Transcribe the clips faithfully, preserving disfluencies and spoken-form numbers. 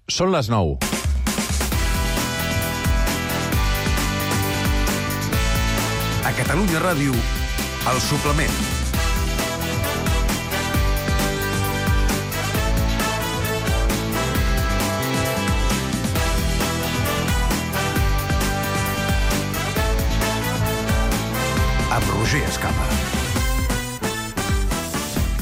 Són les nou. A Catalunya Ràdio, El Suplement. Amb Roger Escapa.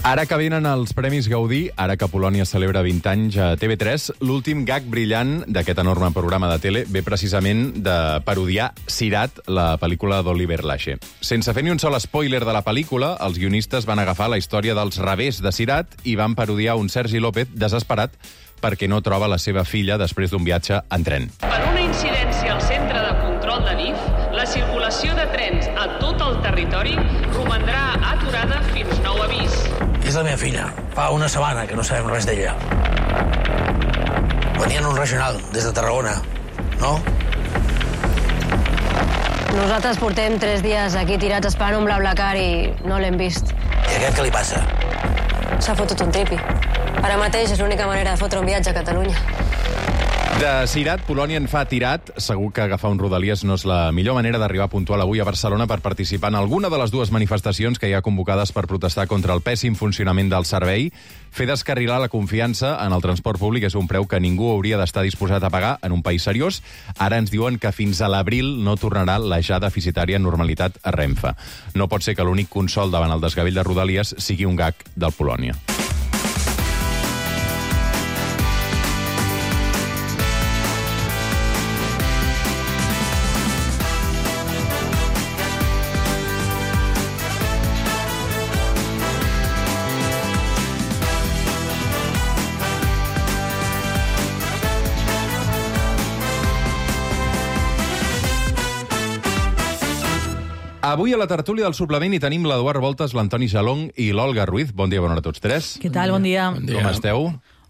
Ara que venen els Premis Gaudí, ara que Polònia celebra vint anys a T V tres, l'últim gag brillant d'aquest enorme programa de tele ve precisament de parodiar Sirat, la pel·lícula d'Oliver Lache. Sense fer ni un sol spoiler de la pel·lícula, els guionistes van agafar la història dels revés de Sirat i van parodiar un Sergi López desesperat perquè no troba la seva filla després d'un viatge en tren. Per una incidència al centre de control de D I F, la circulació de trens a tot el territori romandrà aturada fins nou avís. És la meva filla. Fa una setmana que no sabem res d'ella. Venien un regional des de Tarragona, no? Nosaltres portem tres dies aquí tirats esperant un BlaBlaCar i no l'hem vist. I aquest què li passa? S'ha fotut un tripi. Ara mateix és l'única manera de fotre un viatge a Catalunya. De Sirat, Polònia en fa tirat. Segur que agafar un Rodalies no és la millor manera d'arribar puntual avui a Barcelona per participar en alguna de les dues manifestacions que hi ha convocades per protestar contra el pèssim funcionament del servei. Fer descarrilar la confiança en el transport públic és un preu que ningú hauria d'estar disposat a pagar en un país seriós. Ara ens diuen que fins a l'abril no tornarà la ja deficitària normalitat a Renfe. No pot ser que l'únic consol davant el desgavell de Rodalies sigui un gag del Polònia. Avui a la tertúlia del suplement hi tenim l'Eduard Voltes, l'Antoni Jalong i l'Olga Ruiz. Bon dia, bona hora a tots tres. Què tal? Bon dia. Bon dia. Com esteu?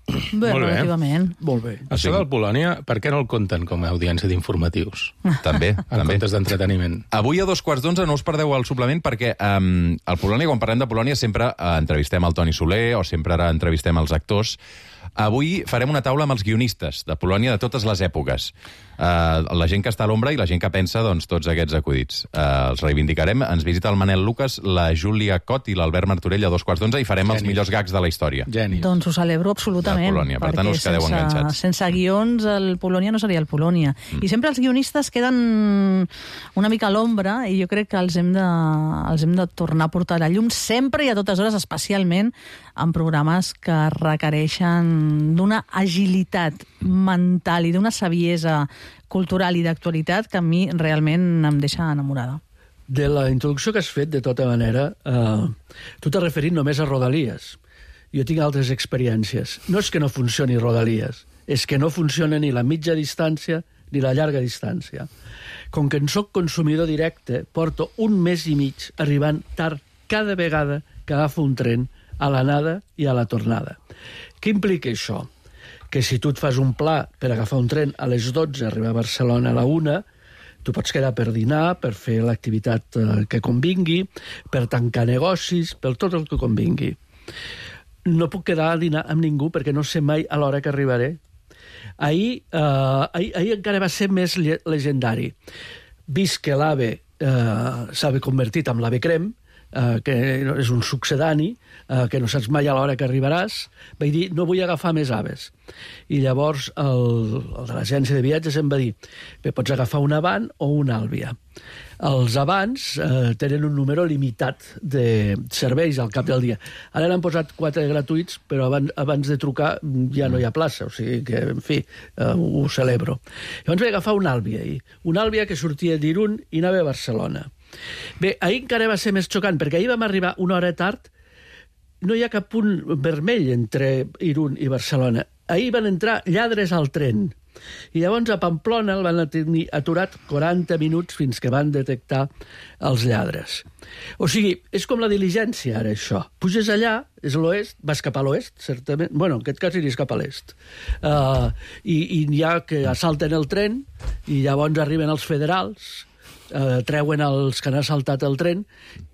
Bé, Molt bé. relativament. Molt bé. Això del Polònia, per què no el compten com a audiència d'informatius? També, En també. comptes d'entreteniment. Avui a dos quarts d'onze no us perdeu el suplement perquè um, al Polònia, quan parlem de Polònia, sempre uh, entrevistem el Toni Soler o sempre ara entrevistem els actors. Avui farem una taula amb els guionistes de Polònia de totes les èpoques. Uh, la gent que està a l'ombra i la gent que pensa doncs, tots aquests acudits. Uh, els reivindicarem. Ens visita el Manel Lucas, la Júlia Cot i l'Albert Martorell a dos quarts d'onze i farem els Genis. millors gags de la història. Genis. Doncs ho celebro absolutament. De Polònia, per tant, perquè us quedeu sense, enganxats. Sense guions, el Polònia no seria el Polònia. Mm. I sempre els guionistes queden una mica a l'ombra i jo crec que els hem, de, els hem de tornar a portar a la llum sempre i a totes hores, especialment en programes que requereixen d'una agilitat mental i d'una saviesa cultural i d'actualitat que a mi realment em deixa enamorada. De la introducció que has fet, de tota manera, eh, tu t'has referit només a Rodalies. Jo tinc altres experiències. No és que no funcioni Rodalies, és que no funciona ni la mitja distància ni la llarga distància. Com que en soc consumidor directe, porto un mes i mig arribant tard cada vegada que agafo un tren a l'anada i a la tornada. Què implica això? Que si tu et fas un pla per agafar un tren a les dotze, arribar a Barcelona a la una, tu pots quedar per dinar, per fer l'activitat que convingui, per tancar negocis, per tot el que convingui. No puc quedar a dinar amb ningú perquè no sé mai a l'hora que arribaré. Ahir, eh, ahir, ahir encara va ser més legendari. Vist que l'AVE eh, s'ha convertit en l'AVE Crem, Uh, que és un succedani, uh, que no saps mai a l'hora que arribaràs, vaig dir, no vull agafar més aves. I llavors el, el de l'agència de viatges em va dir, bé, pots agafar un Avant o un Àlvia. Els Avants uh, tenen un número limitat de serveis al cap del dia. Ara n'han posat quatre gratuïts, però abans, abans de trucar ja no hi ha plaça, o sigui que, en fi, uh, ho celebro. Llavors vaig agafar un Àlvia, un Àlvia que sortia d'Irun i anava a Barcelona. Bé, ahir encara va ser més xocant, perquè ahir vam arribar una hora tard, no hi ha cap punt vermell entre Irun i Barcelona. Ahir van entrar lladres al tren, i llavors a Pamplona el van tenir aturat quaranta minuts fins que van detectar els lladres. O sigui, és com la diligència, ara, això. Puges allà, és l'oest, vas cap a l'oest, certament. Bueno, en aquest cas iries cap a l'est. Uh, i, I hi ha que assalten el tren, i llavors arriben els federals, Uh, treuen els que han assaltat el tren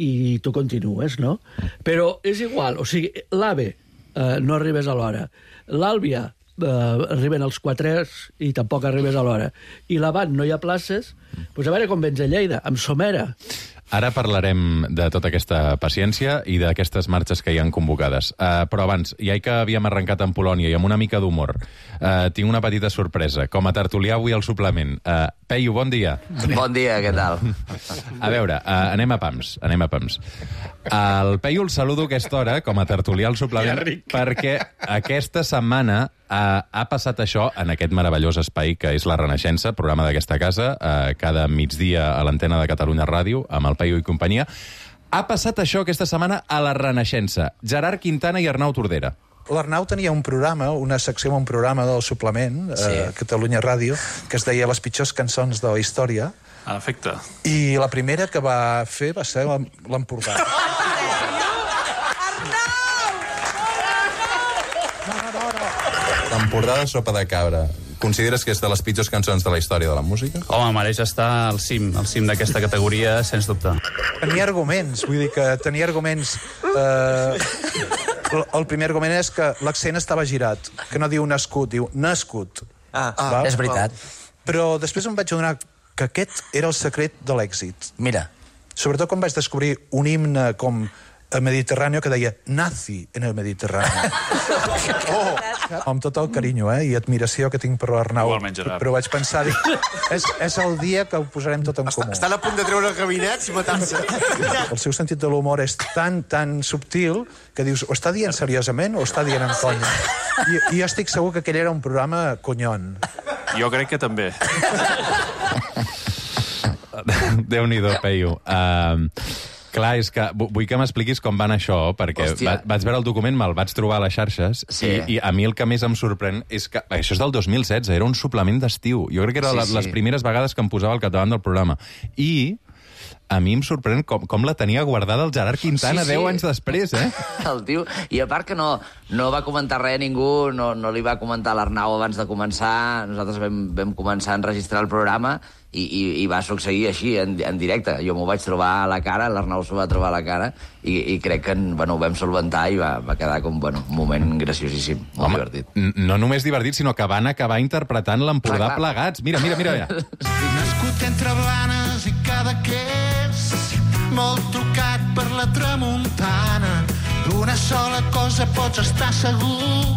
i tu continues, no? Però és igual, o sigui, l'AVE uh, no arribes a l'hora. L'Àlvia eh, arriben els quatre i tampoc arribes a l'hora. I l'avant no hi ha places, doncs a veure com vens a Lleida, amb somera. Ara parlarem de tota aquesta paciència i d'aquestes marxes que hi han convocades. Uh, però abans, ja que havíem arrencat en Polònia i amb una mica d'humor, uh, tinc una petita sorpresa. Com a tertulià avui al suplement. Uh, Peyu, bon dia. Bon dia, què tal? A veure, uh, anem a pams, anem a pams. El Peyu el saludo a aquesta hora, com a tertulià al suplement, perquè aquesta setmana Uh, ha passat això en aquest meravellós espai que és La Renaixença, programa d'aquesta casa, uh, cada migdia a l'antena de Catalunya Ràdio, amb el Peyu i companyia. Ha passat això aquesta setmana a La Renaixença. Gerard Quintana i Arnau Tordera. L'Arnau tenia un programa, una secció amb un programa del suplement, a sí. uh, Catalunya Ràdio, que es deia Les pitjors cançons de la història. En efecte. I la primera que va fer va ser l'Empordà. L'Empordà de sopa de cabra. Consideres que és de les pitjors cançons de la història de la música? Home, mereix estar al cim, al cim d'aquesta categoria, sens dubte. Tenia arguments, vull dir que tenia arguments... Eh, el primer argument és que l'accent estava girat, que no diu nascut, diu nascut. Ah, ah és veritat. Però després em vaig adonar que aquest era el secret de l'èxit. Mira. Sobretot quan vaig descobrir un himne com el Mediterrani que deia nazi en el Mediterrani. Oh, amb tot el carinyo eh, i admiració que tinc per l'Arnau. Igualment, Gerard. Però vaig pensar, dic, és, és el dia que ho posarem tot en comú. Estan a punt de treure el gabinet i matar-se. El seu sentit de l'humor és tan, tan subtil que dius, o està dient seriosament o està dient en conya. I, i jo estic segur que aquell era un programa conyon. Jo crec que també. Déu-n'hi-do, Peyu. Uh, clar, és que vull que m'expliquis com van això, perquè va, vaig veure el document, me'l vaig trobar a les xarxes, sí. i, i a mi el que més em sorprèn és que... Això és del dos mil setze, era un suplement d'estiu. Jo crec que era sí, sí. les primeres vegades que em posava al capdavant del programa. I a mi em sorprèn com, com la tenia guardada el Gerard Quintana sí, sí. deu anys després, eh? El tio... I a part que no, no va comentar res a ningú, no, no li va comentar l'Arnau abans de començar, nosaltres vam, vam començar a enregistrar el programa i, i, i va succeir així, en, en directe. Jo m'ho vaig trobar a la cara, l'Arnau s'ho va trobar a la cara i, i crec que bueno, ho vam solventar i va, va quedar com bueno, un moment graciosíssim, molt Home, divertit. No només divertit, sinó que van acabar interpretant l'Empordà plegats. Mira, mira, mira. mira. Nascut entre Blanes i Cadaqués, molt trucat per la tramuntana, d'una sola cosa pots estar segur,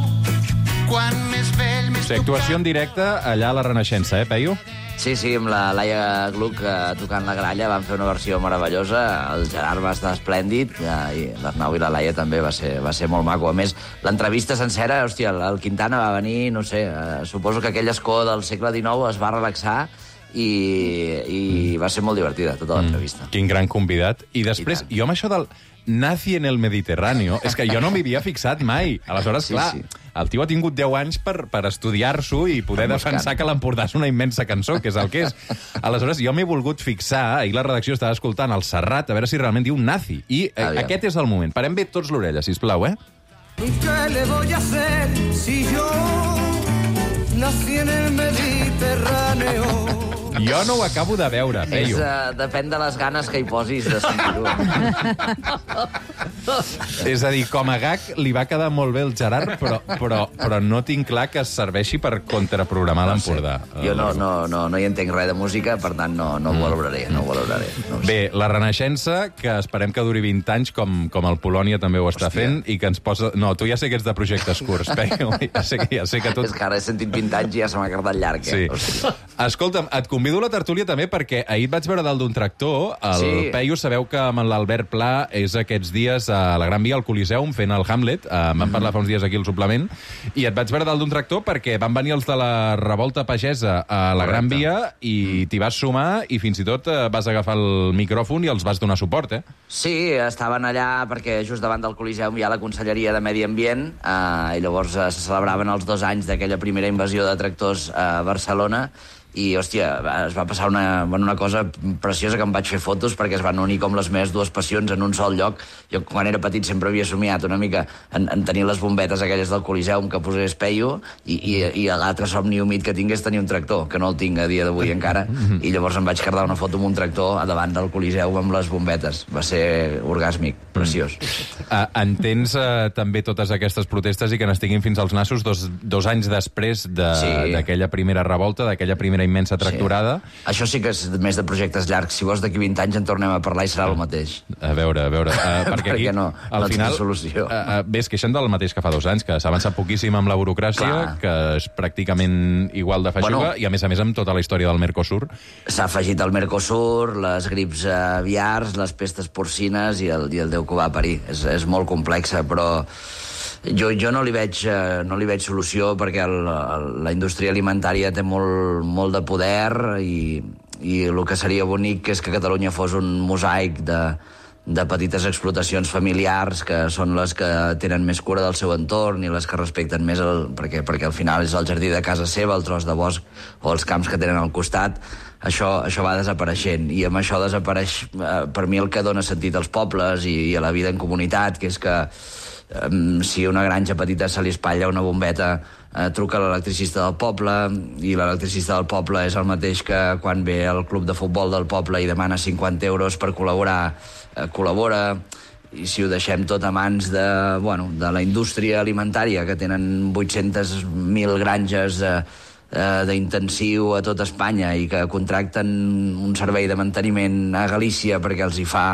quan més vell, més sí, actuació en directe allà a La Renaixença, eh, Peyu? Sí, sí, amb la Laia Gluck eh, tocant la gralla van fer una versió meravellosa, el Gerard va estar esplèndid, eh, i l'Arnau i la Laia també va ser, va ser molt maco. A més, l'entrevista sencera, hòstia, el Quintana va venir, no sé, eh, suposo que aquell escó del segle dinou es va relaxar i, i va ser molt divertida, tota l'entrevista. Mm, quin gran convidat. I després, I jo amb això del nazi en el Mediterráneo, és que jo no m'hi havia fixat mai. Aleshores, sí, clar, sí. el tio ha tingut deu anys per, per estudiar-s'ho i poder defensar que l'Empordà és una immensa cançó, que és el que és. Aleshores, jo m'he volgut fixar, ahir la redacció estava escoltant el Serrat, a veure si realment diu nazi. I eh, aquest és el moment. Parem bé tots l'orella, sisplau, eh? ¿Qué le voy a hacer si yo nací en el Mediterráneo? Jo no ho acabo de veure, Peyu. És, uh, depèn de les ganes que hi posis de sentir-ho. És a dir, com a gag li va quedar molt bé el Gerard, però, però, però no tinc clar que es serveixi per contraprogramar no l'Empordà. Sé. Jo no, no, no, no hi entenc res de música, per tant no, no ho valoraré. No ho valoraré no bé, la Renaixença, que esperem que duri vint anys, com, com el Polònia també ho està Hòstia. fent, i que ens posa... No, tu ja sé que ets de projectes curts, Peyu. Ja sé que, ja sé que tot... És que ara he sentit vint anys i ja se m'ha quedat llarg. Eh? Sí. Escolta'm, et convido a la tertúlia també perquè ahir et vaig veure dalt d'un tractor. El sí. Peyu, sabeu que amb l'Albert Pla és aquests dies a la Gran Via, al Coliseum, fent el Hamlet. Uh, vam parlar fa uns dies aquí al suplement. I et vaig veure dalt d'un tractor perquè van venir els de la revolta pagesa a la Gran Via i t'hi vas sumar i fins i tot uh, vas agafar el micròfon i els vas donar suport, eh? Sí, estaven allà perquè just davant del Coliseum hi ha la Conselleria de Medi Ambient uh, i llavors uh, se celebraven els dos anys d'aquella primera invasió de tractors a Barcelona i, hòstia, es va passar una, una cosa preciosa, que em vaig fer fotos perquè es van unir com les meves dues passions en un sol lloc. Jo, quan era petit, sempre havia somiat una mica en, en tenir les bombetes aquelles del Coliseum que posés Peyu, i, i, i l'altre somni humit que tinc és tenir un tractor, que no el tinc a dia d'avui encara, i llavors em vaig quedar una foto amb un tractor a davant del Coliseum amb les bombetes. Va ser orgàsmic, preciós. Uh, entens uh, també totes aquestes protestes i que n'estiguin fins als nassos dos, dos anys després d'aquella de, sí. primera revolta, d'aquella primera immensa tractorada. Sí. Això sí que és més de projectes llargs. Si vols, d'aquí vint anys en tornem a parlar i serà el mateix. A veure, a veure... Uh, perquè aquí, no, al no final, solució. Uh, uh, bé, es queixen del mateix que fa dos anys, que s'ha avançat poquíssim amb la burocràcia, clar, que és pràcticament igual de feixuga, bueno, i a més a més amb tota la història del Mercosur. S'ha afegit el Mercosur, les grips aviars, les pestes porcines i el, i el Déu que va parir. És, és molt complexa, però jo, jo no, li veig, no li veig solució, perquè el, el, la indústria alimentària té molt, molt de poder, i, i el que seria bonic és que Catalunya fos un mosaic de, de petites explotacions familiars, que són les que tenen més cura del seu entorn i les que respecten més, el, perquè, perquè al final és el jardí de casa seva, el tros de bosc o els camps que tenen al costat. Això, això va desapareixent, i amb això desapareix eh, per mi el que dona sentit als pobles i, i a la vida en comunitat, que és que eh, si una granja petita se li espatlla una bombeta, eh, truca l'electricista del poble, i l'electricista del poble és el mateix que quan ve al club de futbol del poble i demana cinquanta euros per col·laborar, eh, col·labora. I si ho deixem tot a mans de, bueno, de la indústria alimentària, que tenen vuit-centes mil granges eh, d'intensiu a tot Espanya i que contracten un servei de manteniment a Galícia perquè els hi fa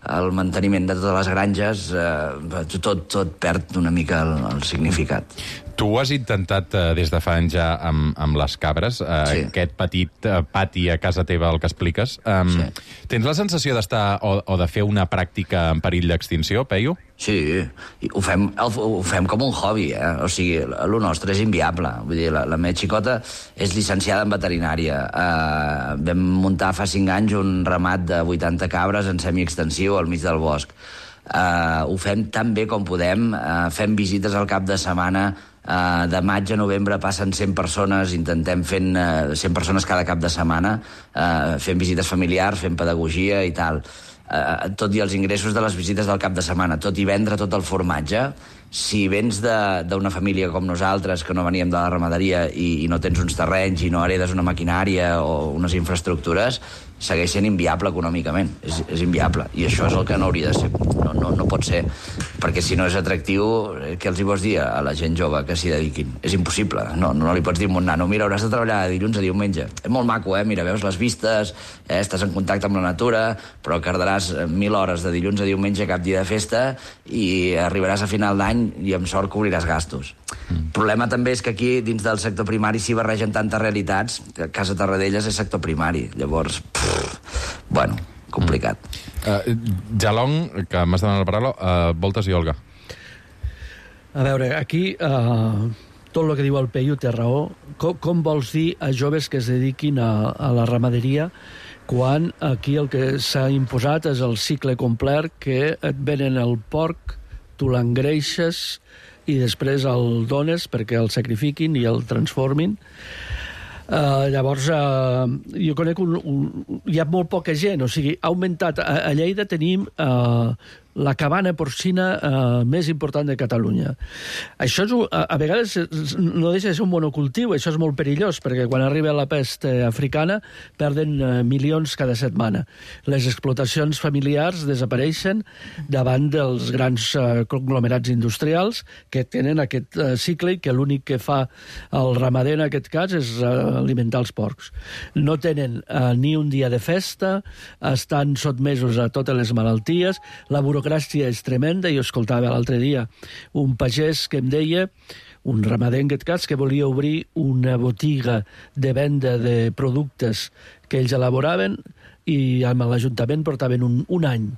el manteniment de totes les granges, eh, tot, tot perd una mica el, el significat. Tu has intentat eh, des de fa anys ja amb, amb les cabres, eh, sí. aquest petit eh, pati a casa teva, el que expliques. Um, sí. Tens la sensació d'estar o, o de fer una pràctica en perill d'extinció, Peyu? Sí, ho fem, ho fem com un hobby, eh? O sigui, el nostre és inviable. Vull dir, la, la meva xicota és llicenciada en veterinària. Uh, vam muntar fa cinc anys un ramat de vuitanta cabres en semiextensiu al mig del bosc. Uh, ho fem tan bé com podem, uh, fem visites al cap de setmana. Uh, de maig a novembre passen cent persones, intentem fent uh, cent persones cada cap de setmana, uh, fent visites familiars, fent pedagogia i tal. Uh, tot i els ingressos de les visites del cap de setmana, tot i vendre tot el formatge, si vens d'una família com nosaltres, que no veníem de la ramaderia i, i no tens uns terrenys i no heredes una maquinària o unes infraestructures, segueix sent inviable econòmicament. És, és inviable. I això és el que no hauria de ser. No, no, no pot ser. Perquè si no és atractiu, què els hi vols dir a la gent jove que s'hi dediquin? És impossible. No, no li pots dir a un nano, mira, hauràs de treballar de dilluns a diumenge. És molt maco, eh? Mira, veus les vistes, eh? Estàs en contacte amb la natura, però cardaràs mil hores de dilluns a diumenge cap dia de festa i arribaràs a final d'any i amb sort cobriràs gastos. El mm. problema també és que aquí, dins del sector primari, s'hi barregen tantes realitats que Casa Tarradellas és sector primari. Llavors, pff, bueno, complicat. Mm. Uh, Jalong, que m'has demanat la paraula, uh, Voltes i Olga. A veure, aquí uh, tot el que diu el Peyu té raó. Com, com vols dir a joves que es dediquin a, a la ramaderia quan aquí el que s'ha imposat és el cicle complet, que et venen el porc, tu l'engreixes i després el dones perquè el sacrifiquin i el transformin. Uh, llavors, uh, jo conec un, un... Hi ha molt poca gent, o sigui, ha augmentat... A, a Lleida tenim uh, la cabana porcina uh, més important de Catalunya. Això és, a, a vegades no deixa de ser un monocultiu, això és molt perillós, perquè quan arriba la pest africana perden uh, milions cada setmana. Les explotacions familiars desapareixen davant dels grans uh, conglomerats industrials que tenen aquest uh, cicle i que l'únic que fa el ramader en aquest cas és uh, alimentar els porcs. No tenen uh, ni un dia de festa, estan sotmesos a totes les malalties, la burocràcia és tremenda. Jo escoltava l'altre dia un pagès que em deia, un ramader en aquest cas, que volia obrir una botiga de venda de productes que ells elaboraven i amb l'Ajuntament portaven un, un any.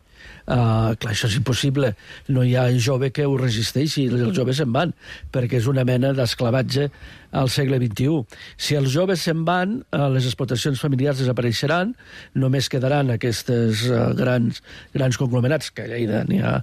Uh, clar, això és impossible. No hi ha jove que ho resisteixi, els joves se'n van, perquè és una mena d'esclavatge al segle vint-i-u. Si els joves se'n van, uh, les explotacions familiars desapareixeran, només quedaran aquests uh, grans, grans conglomerats, que a Lleida n'hi ha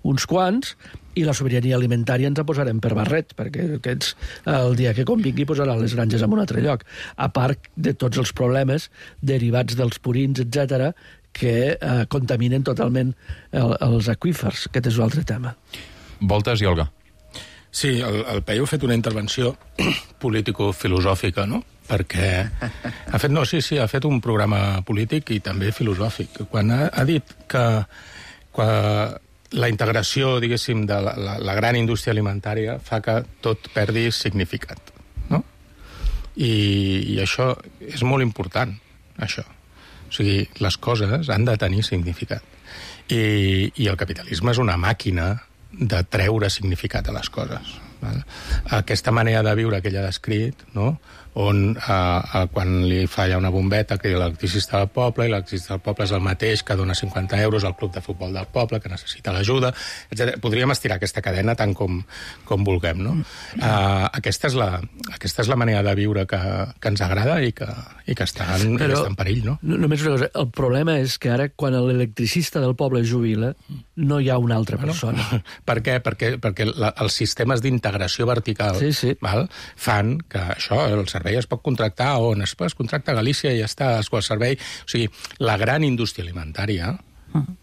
uns quants, I la sobirania alimentària ens la posarem per barret, perquè aquests, el dia que convingui posaran les granges en un altre lloc, a part de tots els problemes derivats dels purins, etcètera, que eh, contaminen totalment el, els aqüífers. Aquest és un altre tema. Voltes i Olga. Sí, el, el Peyu ha fet una intervenció político-filosòfica, no? Perquè ha fet, no, sí, sí, ha fet un programa polític i també filosòfic. Quan ha, ha dit que quan la integració, diguéssim, de la, la, la gran indústria alimentària fa que tot perdi significat, no? I, i això és molt important, això. O sigui, les coses han de tenir significat. I, i el capitalisme és una màquina de treure significat a les coses. Val? Aquesta manera de viure que ella ha descrit, no? On eh, eh, quan li falla una bombeta que l'electricista del poble, i l'electricista del poble és el mateix que dona cinquanta euros al club de futbol del poble, que necessita l'ajuda, etcètera. Podríem estirar aquesta cadena tant com, com vulguem, no? Eh, aquesta, és la, aquesta és la manera de viure que, que ens agrada i que, i que està, en, Però, està en perill, no? Només una cosa, el problema és que ara, quan l'electricista del poble jubila, no hi ha una altra persona. No? Per què? Perquè, perquè la, els sistemes d'integració vertical sí, sí. Val, fan que això, el servei es pot contractar on es, es contracta a Galícia i ja està, es el servei. O sigui, la gran indústria alimentària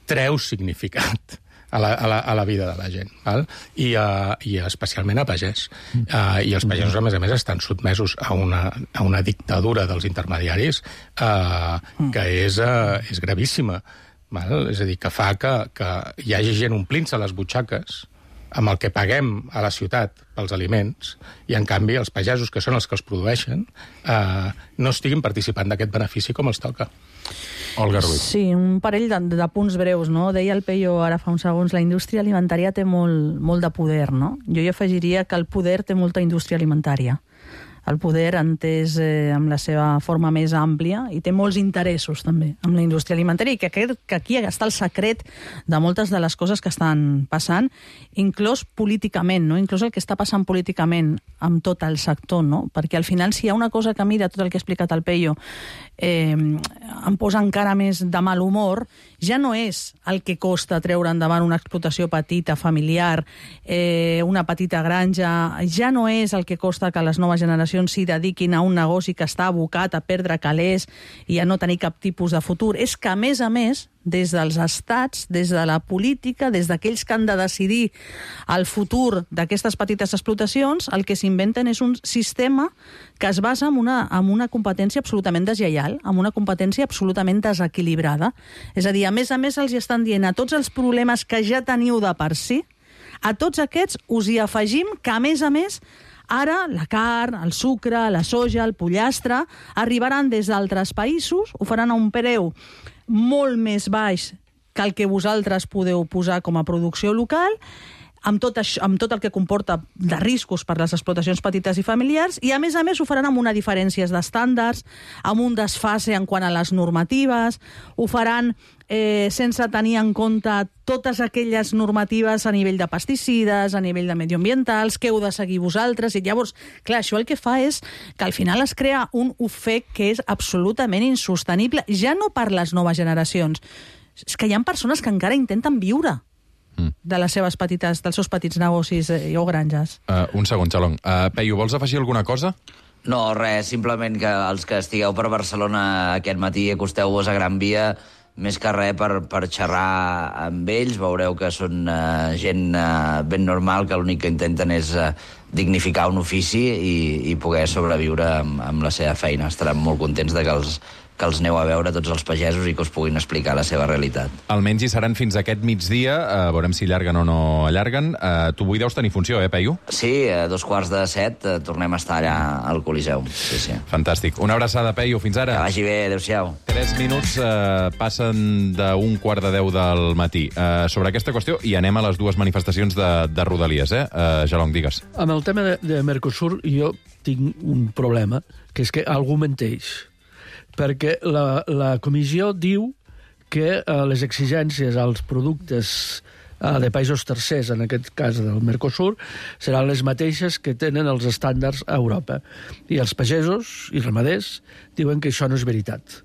treu significat a la, a la, a la vida de la gent, val? I, uh, i especialment a pagès. Uh, I els pagesos, a més a més, estan sotmesos a una, a una dictadura dels intermediaris uh, que és, uh, és gravíssima. Val? És a dir, que fa que, que hi hagi gent omplint-se les butxaques amb el que paguem a la ciutat pels aliments, i en canvi els pagesos, que són els que els produeixen, eh, no estiguin participant d'aquest benefici com els toca. Olga Ruiz. Sí, un parell de, de punts breus, no? Deia el Peyu ara fa uns segons, la indústria alimentària té molt, molt de poder, no? Jo hi afegiria que el poder té molta indústria alimentària. El poder entès eh, amb la seva forma més àmplia, i té molts interessos també amb la indústria alimentària, i que crec que aquí està el secret de moltes de les coses que estan passant, inclús políticament, no? Inclús el que està passant políticament amb tot el sector, no? Perquè al final, si hi ha una cosa que a mi de tot el que ha explicat el Peyu eh, em posa encara més de mal humor, ja no és el que costa treure endavant una explotació petita, familiar, eh, una petita granja, ja no és el que costa que les noves generacions s'hi dediquin a un negoci que està abocat a perdre calés i a no tenir cap tipus de futur. És que, a més a més, des dels estats, des de la política, des d'aquells que han de decidir el futur d'aquestes petites explotacions, el que s'inventen és un sistema que es basa en una, en una competència absolutament deslleial, en una competència absolutament desequilibrada. És a dir, a més a més, els estan dient a tots els problemes que ja teniu de per si, a tots aquests us hi afegim que, a més a més, ara la carn, el sucre, la soja, el pollastre arribaran des d'altres països, ho faran a un preu molt més baix que el que vosaltres podeu posar com a producció local, amb tot, això, amb tot el que comporta de riscos per les explotacions petites i familiars, i a més a més ho faran amb una diferència d'estàndards, amb un desfase en quant a les normatives, ho faran eh, sense tenir en compte totes aquelles normatives a nivell de pesticides, a nivell de medioambientals, que heu de seguir vosaltres, i llavors, clar, això el que fa és que al final es crea un ofec que és absolutament insostenible, ja no per les noves generacions, és que hi ha persones que encara intenten viure de les seves petites, dels seus petits negocis eh, o granges. Uh, un segon, Xalong. Uh, Peyu, vols afegir alguna cosa? No, res, simplement que els que estigueu per Barcelona aquest matí acosteu-vos a Gran Via, més que res per, per xerrar amb ells, veureu que són uh, gent uh, ben normal, que l'únic que intenten és uh, dignificar un ofici i, i poder sobreviure amb, amb la seva feina. Estaran molt contents de que els que els aneu a veure tots els pagesos i que us puguin explicar la seva realitat. Almenys hi seran fins aquest migdia, uh, veurem si allarguen o no allarguen. Uh, tu avui deus tenir funció, eh, Peyu? Sí, a dos quarts de set uh, tornem a estar allà al Coliseu. Sí, sí. Fantàstic. Una abraçada, Peyu, fins ara. Que vagi bé, adéu-siau. Tres minuts uh, passen d'un quart de deu del matí. Uh, sobre aquesta qüestió, i anem a les dues manifestacions de, de Rodalies, eh? Uh, Xalong, digues. Amb el tema de, de Mercosur jo tinc un problema, que és que algú menteix. Perquè la, la comissió diu que eh, les exigències als productes eh, de països tercers, en aquest cas del Mercosur, seran les mateixes que tenen els estàndards a Europa. I els pagesos i ramaders diuen que això no és veritat.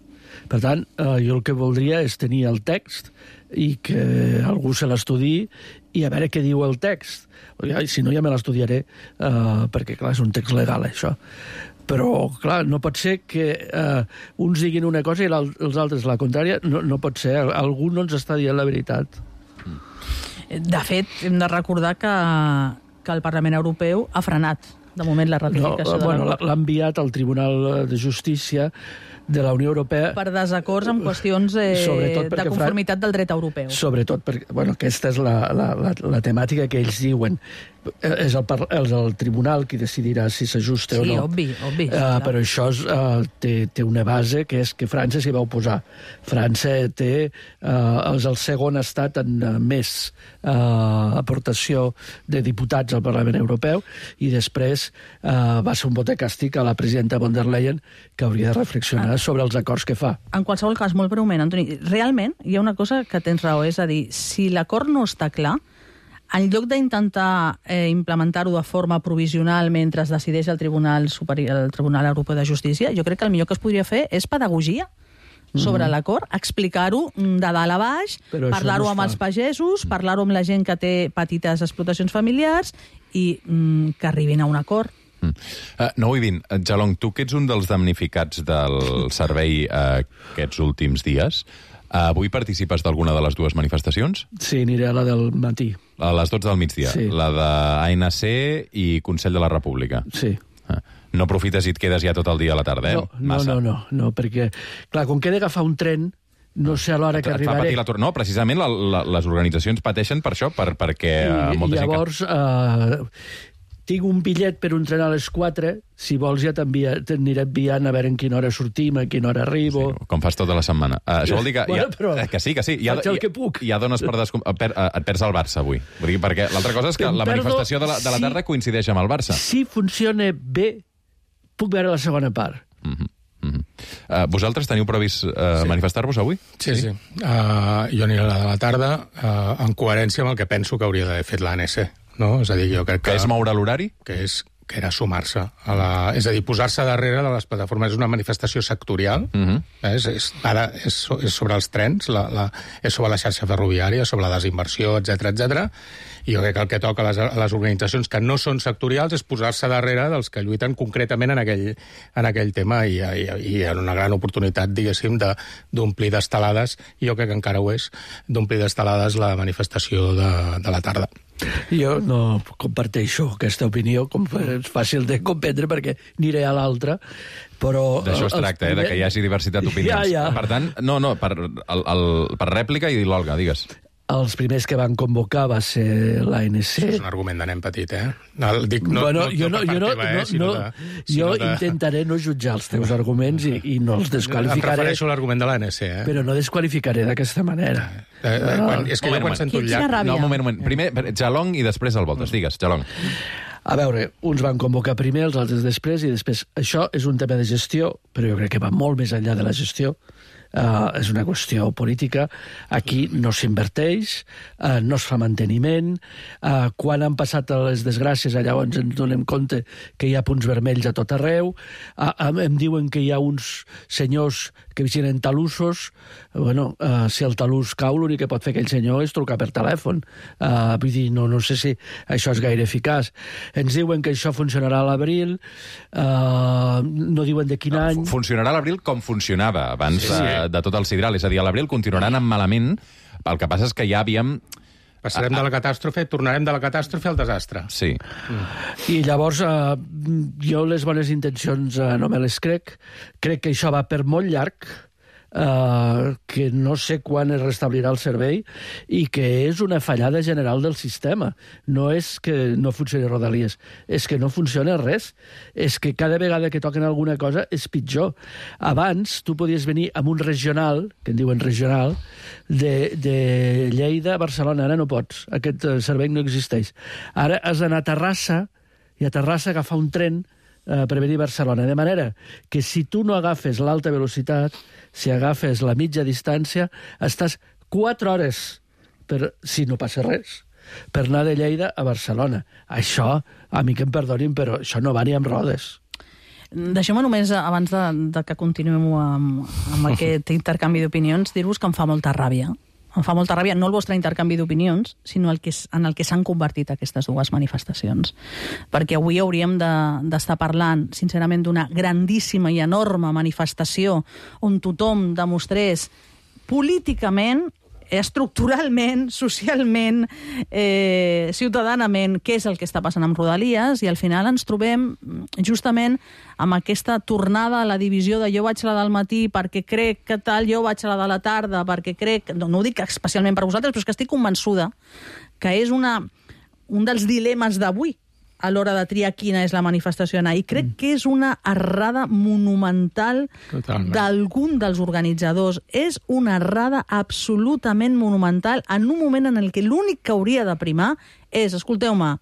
Per tant, eh, jo el que voldria és tenir el text i que algú se l'estudi i a veure què diu el text. Si no, ja me l'estudiaré, eh, perquè, clar, és un text legal, això. Però, clar, no pot ser que eh, uns diguin una cosa i els altres la contrària. No, no pot ser. Algú no ens està dient la veritat. De fet, hem de recordar que, que el Parlament Europeu ha frenat, de moment, la ratificació no, bueno, de l'acord. L'ha enviat al Tribunal de Justícia de la Unió Europea... Per desacords en qüestions eh, de conformitat del dret europeu. Sobretot perquè, bueno, aquesta és la, la, la, la temàtica que ells diuen. És el, és el tribunal qui decidirà si s'ajusta sí, o no. Sí, obvi, obvi. Uh, uh, però això és, uh, té, té una base que és que França s'hi va oposar. França té, uh, és el segon estat en uh, més uh, aportació de diputats al Parlament Europeu i després uh, va ser un vot de càstig a la presidenta von der Leyen que hauria de reflexionar ah. sobre els acords que fa. En qualsevol cas, molt breument, Antoni, realment hi ha una cosa que tens raó, és a dir, si l'acord no està clar, en lloc d'intentar eh, implementar-ho de forma provisional mentre es decideix el Tribunal Superior, el Tribunal Europeu de Justícia, jo crec que el millor que es podria fer és pedagogia sobre mm-hmm. l'acord, explicar-ho de dalt a baix, parlar-ho no amb els pagesos, parlar-ho amb la gent que té petites explotacions familiars i mm, que arribin a un acord. Mm. Uh, nou i vint. Jalong, tu que ets un dels damnificats del servei uh, aquests últims dies, uh, avui participes d'alguna de les dues manifestacions? Sí, aniré a la del matí. A les dotze del migdia? Sí. La de A N C i Consell de la República? Sí. Uh, no aprofites i et quedes ja tot el dia a la tarda, eh? No, no, no, no, no, perquè, clar, com que he d'agafar un tren, no sé a l'hora que et arribaré... Fa patir l'atur. No, precisament la, la, les organitzacions pateixen per això, per, perquè I, molta i llavors, gent... Que... Uh, tinc un bitllet per un tren a les quatre, si vols ja t'aniré enviant a veure en quina hora sortim, a quina hora arribo... Sí, com fas tota la setmana. Uh, això vol dir que... Bueno, ja, però que sí, que sí. Ja, faig el que puc. Ja dones per descom... per, uh, et perds el Barça avui. Vull dir, perquè l'altra cosa és que em la perdo, manifestació de la, de la tarda sí, coincideix amb el Barça. Si funciona bé, puc veure la segona part. Mm-hmm. Mm-hmm. Uh, vosaltres teniu previst uh, sí. manifestar-vos avui? Sí, sí. sí. Uh, jo aniré a la de la tarda uh, en coherència amb el que penso que hauria d'haver fet l'A N C. No? És a dir, jo crec que... Que és moure l'horari? Que és que era sumar-se a la... És a dir, posar-se darrere de les plataformes. És una manifestació sectorial, uh-huh. és, és, ara és, és sobre els trens, la, la, és sobre la xarxa ferroviària, sobre la desinversió, etcètera, etcètera. I jo crec que el que toca a les, a les organitzacions que no són sectorials és posar-se darrere dels que lluiten concretament en aquell, en aquell tema i, i, i en una gran oportunitat, diguéssim, d'omplir de, d'estelades, i jo crec que encara ho és, d'omplir d'estelades la manifestació de, de la tarda. Jo no comparteixo aquesta opinió, com és fàcil de comprendre perquè aniré a l'altra, però... D'això es tracta, primer... eh, de que hi hagi diversitat d'opinions. Ja, ja. Per tant, no, no, per, el, el, per rèplica i l'Olga, digues. Els primers que van convocar va ser l'A N C. Això és un argument de nen petit, eh? No, dic, no, bueno, no, jo no, no, jo no, teva, eh? no, no de, jo de... intentaré no jutjar els teus arguments i, i no els desqualificaré. Em refereixo a l'argument de l'A N C, eh? Però no desqualificaré d'aquesta manera. Eh, eh, quan, és que moment, jo quan sento el llac... No, un moment, un moment. Primer, Jalong i després el Voltes. Digues, Jalong. A veure, uns van convocar primer, els altres després, i després... Això és un tema de gestió, però jo crec que va molt més enllà de la gestió. Uh, és una qüestió política. Aquí no s'inverteix, uh, no es fa manteniment. Uh, quan han passat les desgràcies, llavors ens donem compte que hi ha punts vermells a tot arreu. Uh, em diuen que hi ha uns senyors que vigilen talussos. Bueno, uh, si el talús cau, l'únic que pot fer aquell senyor és trucar per telèfon. Uh, vull dir, no, no sé si això és gaire eficaç. Ens diuen que això funcionarà a l'abril, uh, no diuen de quin no, any... Funcionarà a l'abril com funcionava abans sí, sí. de tot el sidral. És a dir, a l'abril continuaran amb malament. El que passa és que ja havíem... Passarem de la catàstrofe, tornarem de la catàstrofe al desastre. Sí. Mm. I llavors, eh, jo les bones intencions eh, no me les crec. Crec que això va per molt llarg, Uh, que no sé quan es restablirà el servei i que és una fallada general del sistema. No és que no funcioni Rodalies, és que no funciona res. És que cada vegada que toquen alguna cosa és pitjor. Abans tu podies venir amb un regional, que en diuen regional, de, de Lleida a Barcelona. Ara no pots. Aquest servei no existeix. Ara has d'anar a Terrassa i a Terrassa agafar un tren Uh, per venir a Barcelona. De manera que si tu no agafes l'alta velocitat, si agafes la mitja distància, estàs quatre hores, per, si no passa res, per anar de Lleida a Barcelona. Això, a mi que em perdonin, però això no va ni amb rodes. Deixeu-me només, abans de, de que continuem amb, amb aquest intercanvi d'opinions, dir-vos que em fa molta ràbia. Em fa molta ràbia, no el vostre intercanvi d'opinions, sinó el que, en el que s'han convertit aquestes dues manifestacions. Perquè avui hauríem d'estar de, parlant, sincerament, d'una grandíssima i enorme manifestació on tothom demostrés políticament, estructuralment, socialment, eh, ciutadanament, què és el que està passant amb Rodalies, i al final ens trobem justament amb aquesta tornada a la divisió de jo vaig a la del matí perquè crec que tal, jo vaig a la de la tarda perquè crec... No, no ho dic especialment per vosaltres, però és que estic convençuda que és una, un dels dilemes d'avui a l'hora de triar quina és la manifestació a anar. I crec mm. que és una errada monumental d'algun dels organitzadors. És una errada absolutament monumental en un moment en el que l'únic que hauria de primar és, escolteu-me,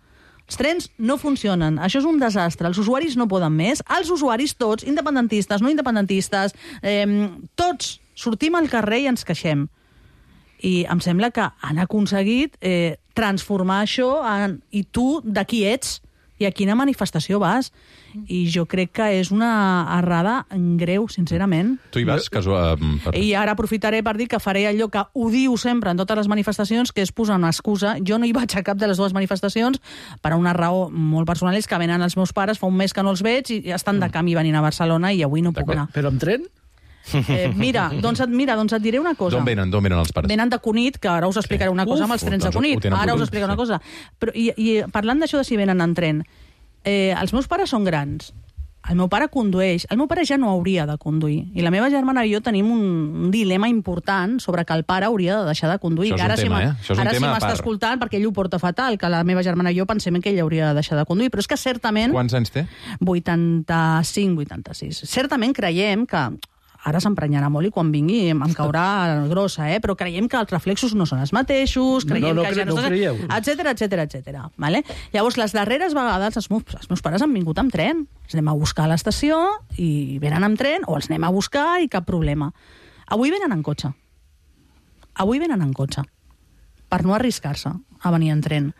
els trens no funcionen, això és un desastre, els usuaris no poden més, els usuaris tots, independentistes, no independentistes, eh, tots sortim al carrer i ens queixem. I em sembla que han aconseguit eh, transformar això en... I tu, de qui ets? I a quina manifestació vas? I jo crec que és una errada greu, sincerament. Tu hi vas? Casual, per... I ara aprofitaré per dir que faré allò que odio sempre en totes les manifestacions, que és posar una excusa. Jo no hi vaig a cap de les dues manifestacions per una raó molt personal, és que venen els meus pares, fa un mes que no els veig, i estan de camí venint a Barcelona i avui no puc anar. Però amb tren? Eh, mira, doncs et, mira, doncs et diré una cosa. D'on venen, d'on venen els pares? Venen de Cunit, que ara us explicaré una cosa. Uf, amb els trens doncs, de Cunit. Ara us explicaré una cosa. Però, i, I parlant d'això de si venen en tren, eh, els meus pares són grans. El meu pare condueix. El meu pare ja no hauria de conduir. I la meva germana i jo tenim un, un dilema important sobre que el pare hauria de deixar de conduir. Això és un ara tema, si eh? Això és un ara tema si a m'està part. escoltant, perquè ell ho porta fatal, que la meva germana i jo pensem que ell hauria de deixar de conduir. Però és que certament... Quants anys té? vuitanta-cinc, vuitanta-sis. Certament creiem que... Ara s'emprenyarà molt i quan vingui em caurà grossa, eh? Però creiem que els reflexos no són els mateixos, creiem no, no, que cre ja no... no creieu. Etcètera, etcètera, etcètera. Vale? Llavors, les darreres vegades els meus, els meus pares han vingut amb tren. Els anem a buscar a l'estació i venen amb tren, o els anem a buscar i cap problema. Avui venen en cotxe. Avui venen en cotxe. Per no arriscar-se a venir en tren.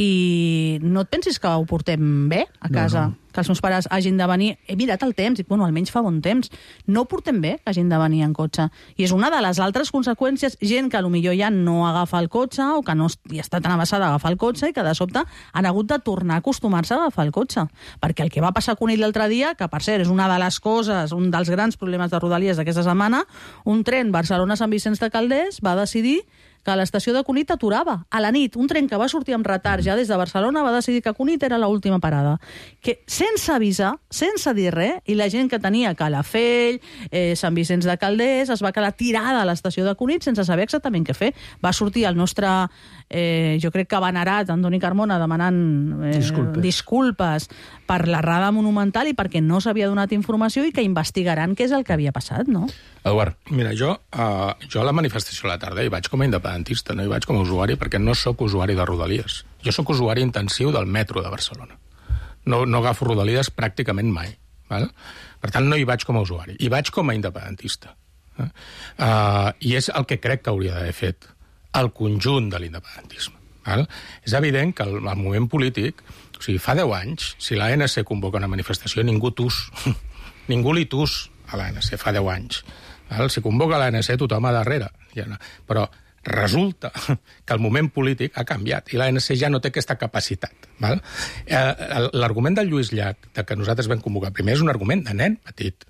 I no et pensis que ho portem bé a casa, no, no. que els meus pares hagin de venir... He mirat el temps, i bueno, almenys fa bon temps. No ho portem bé que hagin de venir en cotxe. I és una de les altres conseqüències, gent que potser ja no agafa el cotxe o que no hi està tan avasada a agafar el cotxe i que de sobte han hagut de tornar a acostumar-se a agafar el cotxe. Perquè el que va passar a Cunit l'altre dia, que per cert és una de les coses, un dels grans problemes de Rodalies d'aquesta setmana, un tren Barcelona-Sant Vicenç de Calders va decidir que a l'estació de Cunit aturava. A la nit, un tren que va sortir amb retard ja des de Barcelona va decidir que Cunit era l'última parada. Que sense avisar, sense dir res, i la gent que tenia Calafell, eh, Sant Vicenç de Calders, es va quedar tirada a l'estació de Cunit sense saber exactament què fer. Va sortir el nostre, eh, jo crec que venerat, Antoni Carmona, demanant eh, disculpes. disculpes per l'errada monumental i perquè no s'havia donat informació i que investigaran què és el que havia passat, no? Eduard. Mira, jo, uh, jo a la manifestació a la tarda hi vaig com a independentista, no hi vaig com a usuari, perquè no sóc usuari de Rodalies. Jo sóc usuari intensiu del metro de Barcelona. No, no agafo Rodalies pràcticament mai. Val? Per tant, no hi vaig com a usuari. Hi vaig com a independentista. Uh, I és el que crec que hauria d'haver fet el conjunt de l'independentisme. Val? És evident que el, el moviment polític, o sigui, fa deu anys, si l'A N C convoca una manifestació, ningú tus. Ningú li tus a l'A N C, fa deu anys. Val? Si convoca l'A N C, tothom a darrere. Ja no. Però resulta que el moment polític ha canviat i l'A N C ja no té aquesta capacitat. Val? Eh, l'argument del Lluís Llach, de que nosaltres vam convocar primer, és un argument de nen petit.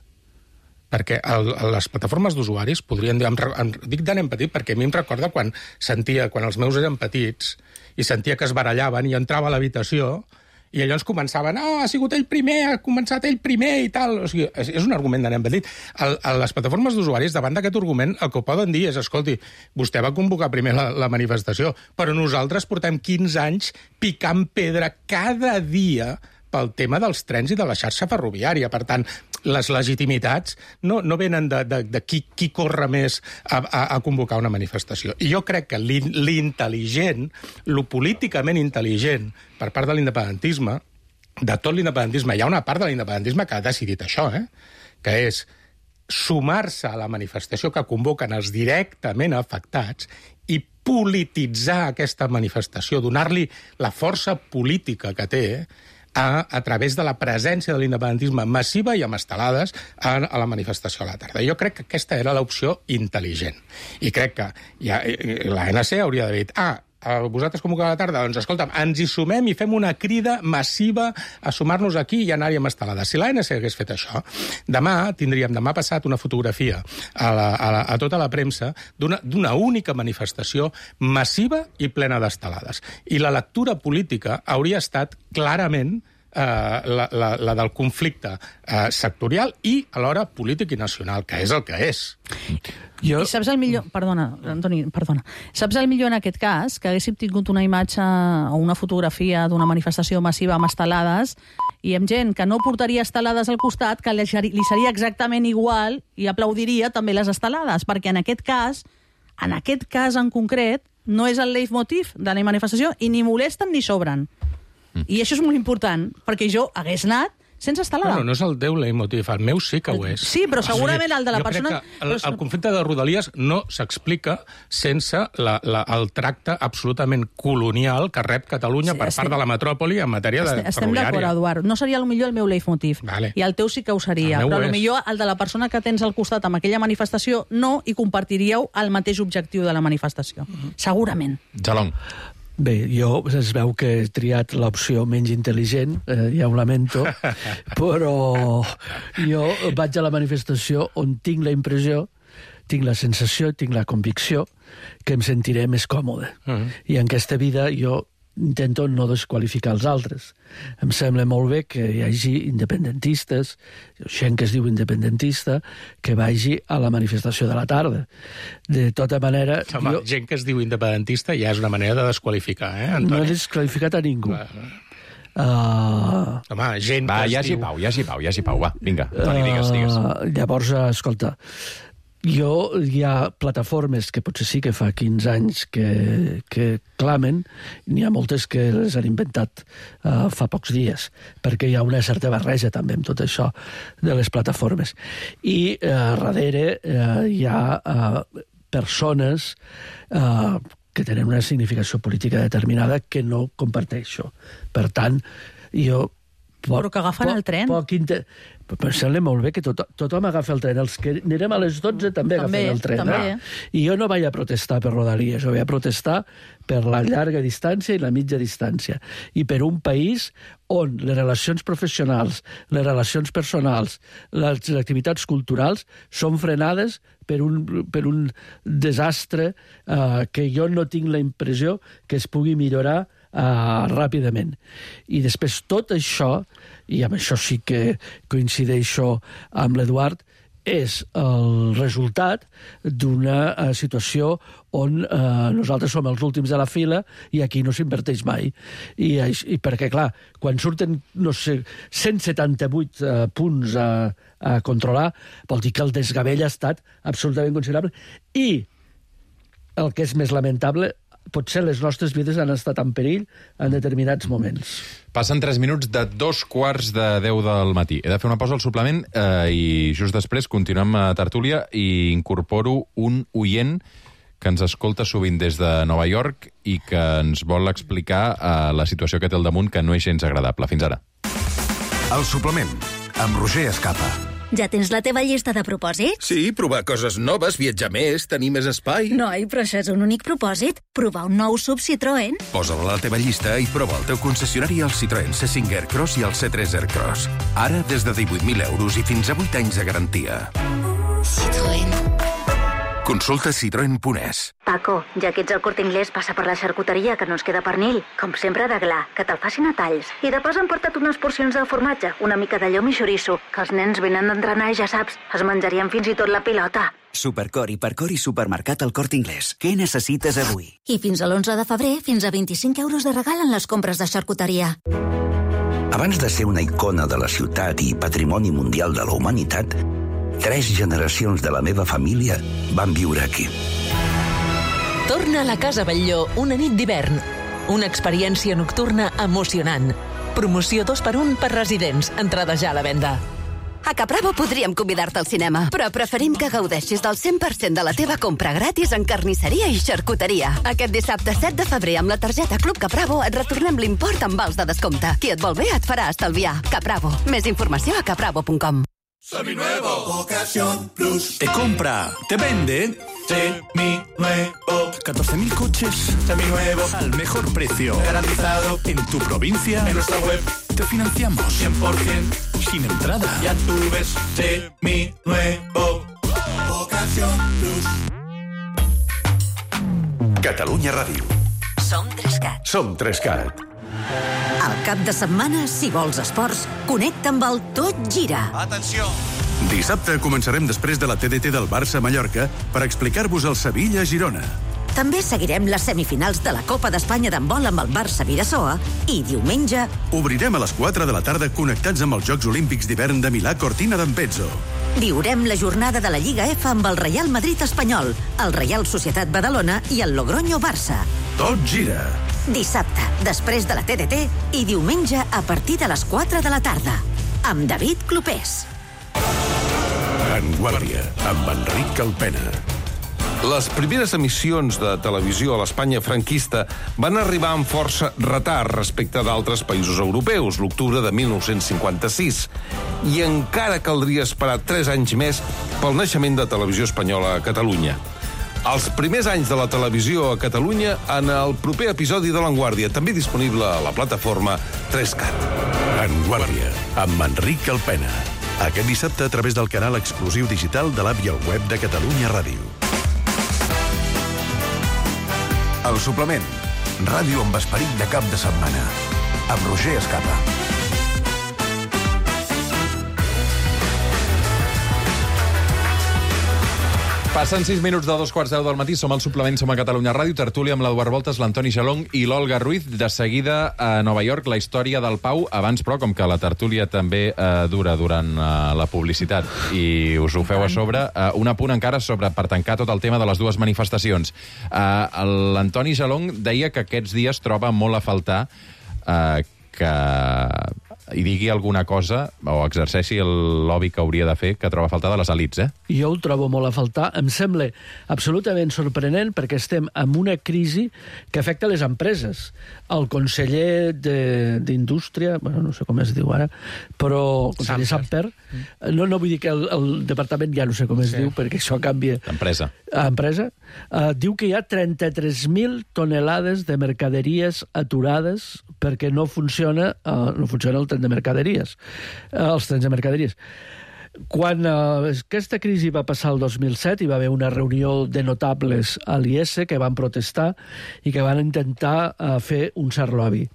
Perquè el, les plataformes d'usuaris podrien dir... Em, em, dic de nen petit perquè a mi em recorda quan sentia, quan els meus eren petits i sentia que es barallaven i entrava a l'habitació i llavors començaven, ah, oh, ha sigut ell primer, ha començat ell primer i tal. O sigui, és, és un argument de nen petit. El, el, les plataformes d'usuaris, davant d'aquest argument, el que poden dir és, escolti, vostè va convocar primer la, la manifestació, però nosaltres portem quinze anys picant pedra cada dia pel tema dels trens i de la xarxa ferroviària. Per tant, les legitimitats no, no venen de, de, de qui, qui corre més a, a, a convocar una manifestació. I jo crec que l'intel·ligent, lo políticament intel·ligent per part de l'independentisme, de tot l'independentisme, hi ha una part de l'independentisme que ha decidit això, eh? que és sumar-se a la manifestació que convoquen els directament afectats i polititzar aquesta manifestació, donar-li la força política que té, a, a través de la presència de l'independentisme massiva i amb estelades a, a la manifestació a la tarda. Jo crec que aquesta era l'opció intel·ligent. I crec que ja, la N C hauria d'haver dit, ah, vosaltres convoqueu a la tarda, doncs escolta'm, ens hi sumem i fem una crida massiva a sumar-nos aquí i anar-hi amb estelades. Si l'A N C hagués fet això, demà tindríem demà passat una fotografia a, la, a, la, a tota la premsa d'una única manifestació massiva i plena d'estelades. I la lectura política hauria estat clarament eh, la, la, la del conflicte eh, sectorial i alhora polític i nacional, que és el que és. Jo... I saps el millor... Perdona, Antoni, perdona. Saps el millor en aquest cas? Que haguéssim tingut una imatge o una fotografia d'una manifestació massiva amb estelades i amb gent que no portaria estelades al costat, que li seria exactament igual i aplaudiria també les estelades, perquè en aquest cas, en aquest cas en concret, no és el leitmotiv de la manifestació i ni molesten ni sobren. Mm. I això és molt important, perquè jo hagués anat sense estelada. No, no, no és el teu leitmotiv, el meu sí que ho és. Sí, però segurament el de la jo persona... Jo crec que el, el conflicte de Rodalies no s'explica sense la, la, el tracte absolutament colonial que rep Catalunya sí, per estem, part de la metròpoli en matèria de ferroviària. Estem d'acord, Eduard. No seria potser el meu leitmotiv. Vale. I el teu sí que ho seria. Però potser el de la persona que tens al costat amb aquella manifestació no, i compartiríeu el mateix objectiu de la manifestació. Mm-hmm. Segurament. Jalong. Bé, jo es veu que he triat l'opció menys intel·ligent, eh, ja ho lamento, però jo vaig a la manifestació on tinc la impressió, tinc la sensació, tinc la convicció que em sentiré més còmode. Uh-huh. I en aquesta vida jo intento no desqualificar els altres. Em sembla molt bé que hi hagi independentistes, gent que es diu independentista, que vagi a la manifestació de la tarda. De tota manera... Home, jo... gent que es diu independentista ja és una manera de desqualificar, eh, Antoni? No he desqualificat a ningú. Uh... Home, gent va, que ja es diu... diu... Pau, ja s'hi pau, ja s'hi pau, va, vinga, Antoni, digues, digues. Uh, llavors, escolta, jo, hi ha plataformes que potser sí que fa quinze anys que, que clamen, n'hi ha moltes que les han inventat uh, fa pocs dies, perquè hi ha una certa barreja també amb tot això de les plataformes. I uh, darrere uh, hi ha uh, persones uh, que tenen una significació política determinada que no comparteixo. Per tant, jo... Poc, però que agafen poc, el tren. Poc inter... Però sembla molt bé que tot, tothom agafa el tren. Els que anirem a les dotze també, també agafen el tren. També. Eh? I jo no vaig a protestar per Rodalies, jo vaig a protestar per la llarga distància i la mitja distància. I per un país on les relacions professionals, les relacions personals, les activitats culturals són frenades per un, per un desastre eh, que jo no tinc la impressió que es pugui millorar Uh, ràpidament. I després tot això, i amb això sí que coincideixo amb l'Eduard, és el resultat d'una uh, situació on uh, nosaltres som els últims de la fila i aquí no s'inverteix mai. I, i perquè, clar, quan surten, no sé, cent setanta-vuit uh, punts a, a controlar, vol dir que el desgavell ha estat absolutament considerable. I el que és més lamentable, potser les nostres vides han estat en perill en determinats moments. Passen tres minuts de dos quarts de deu del matí. He de fer una pausa al suplement eh, i just després continuem a tertúlia i incorporo un oient que ens escolta sovint des de Nova York i que ens vol explicar eh, la situació que té al damunt, que no és gens agradable. Fins ara. El suplement, amb Roger Escapa. Ja tens la teva llista de propòsits? Sí, provar coses noves, viatjar més, tenir més espai. Noi, però això és un únic propòsit. Provar un nou sub Citroën. Posa-la a la teva llista i prova el teu concessionari al Citroën C cinc Aircross i el C tres Aircross. Ara des de divuit mil euros i fins a vuit anys de garantia. Citroën. Consulta citroen punt es. Paco, ja que ets al Corte Inglés, passa per la xarcuteria, que no ens queda pernil. Com sempre, de gla, que te'l facin a talls. I de pas han portat unes porcions de formatge, una mica de llom i xoriço, que els nens venen d'entrenar i ja saps, es menjarien fins i tot la pilota. Supercor i Percor i Supermercat al Corte Inglés. Què necessites avui? I fins a l'onze de febrer, fins a vint-i-cinc euros de regal en les compres de xarcuteria. Abans de ser una icona de la ciutat i patrimoni mundial de la humanitat, tres generacions de la meva família van viure aquí. Torna a la Casa Batlló una nit d'hivern. Una experiència nocturna emocionant. Promoció dos per un per residents. Entrada ja a la venda. A Capravo podríem convidar-te al cinema, però preferim que gaudeixis del cent per cent de la teva compra gratis en carnisseria i xarcuteria. Aquest dissabte set de febrer amb la targeta Club Capravo et retornem l'import amb vals de descompte. Qui et vol bé et farà estalviar. Capravo. Més informació a capravo punt com. Seminuevo, Ocasión Plus. Te compra, te vende. Seminuevo. catorce mil coches Seminuevos. al mejor precio. Garantizado. En tu provincia. En nuestra web. Te financiamos. cien por ciento. Sin entrada. Ya tú ves. Seminuevo. Ocasión Plus. Catalunya Ràdio. Som Trescat. Som Trescat. Al cap de setmana, si vols esports, connecta amb el Tot Gira. Atenció. Dissabte començarem després de la T D T del Barça a Mallorca per explicar-vos el Sevilla-Girona. També seguirem les semifinals de la Copa d'Espanya d'handbol amb el Barça-Vidasoa i diumenge Obrirem a les quatre de la tarda connectats amb els Jocs Olímpics d'hivern de Milà Cortina d'Ampezzo. viurem la jornada de la Lliga F amb el Real Madrid espanyol, el Real Societat Badalona i el Logroño Barça. Tot gira. Dissabte, després de la T D T i diumenge a partir de les quatre de la tarda. Amb David Clopés. En Guàrdia, amb Enric Calpena. Les primeres emissions de televisió a l'Espanya franquista van arribar amb força retard respecte d'altres països europeus, l'octubre de mil nou-cents cinquanta-sis, i encara caldria esperar tres anys més pel naixement de Televisió Espanyola a Catalunya. Els primers anys de la televisió a Catalunya en el proper episodi de l'Enguàrdia, també disponible a la plataforma Trescat. En Guàrdia, amb Enric Calpena. Aquest dissabte a través del canal exclusiu digital de l'app i el web de Catalunya Ràdio. El suplement. Ràdio amb esperit de cap de setmana. Amb Roger Escapa. Passen sis minuts de dos quarts deu del matí, som al suplement, som a Catalunya Ràdio, tertúlia amb l'Eduard Voltes, l'Antoni Jalong i l'Olga Ruiz. De seguida a Nova York, la història del Pau. Abans, però, com que la tertúlia també eh, dura durant eh, la publicitat i us ho feu a sobre, eh, un apunt encara sobre, per tancar tot el tema de les dues manifestacions. Eh, L'Antoni Jalong deia que aquests dies troba molt a faltar eh, que hi digui alguna cosa o exerceixi el lobby que hauria de fer, que troba a faltar de les elits, eh? Jo ho trobo molt a faltar. Em sembla absolutament sorprenent perquè estem en una crisi que afecta les empreses. El conseller d'Indústria, bueno, no sé com es diu ara, però conseller Samper, no, no vull dir que el, el departament ja no sé com es sí. diu, perquè això canvia. Empresa. Empresa. Uh, diu que hi ha trenta-tres mil tonelades de mercaderies aturades perquè no funciona, uh, no funciona el tren de mercaderies, uh, els trens de mercaderies. Quan uh, aquesta crisi va passar el dos mil set, hi va haver una reunió de notables a l'I S que van protestar i que van intentar uh, fer un cert lobby.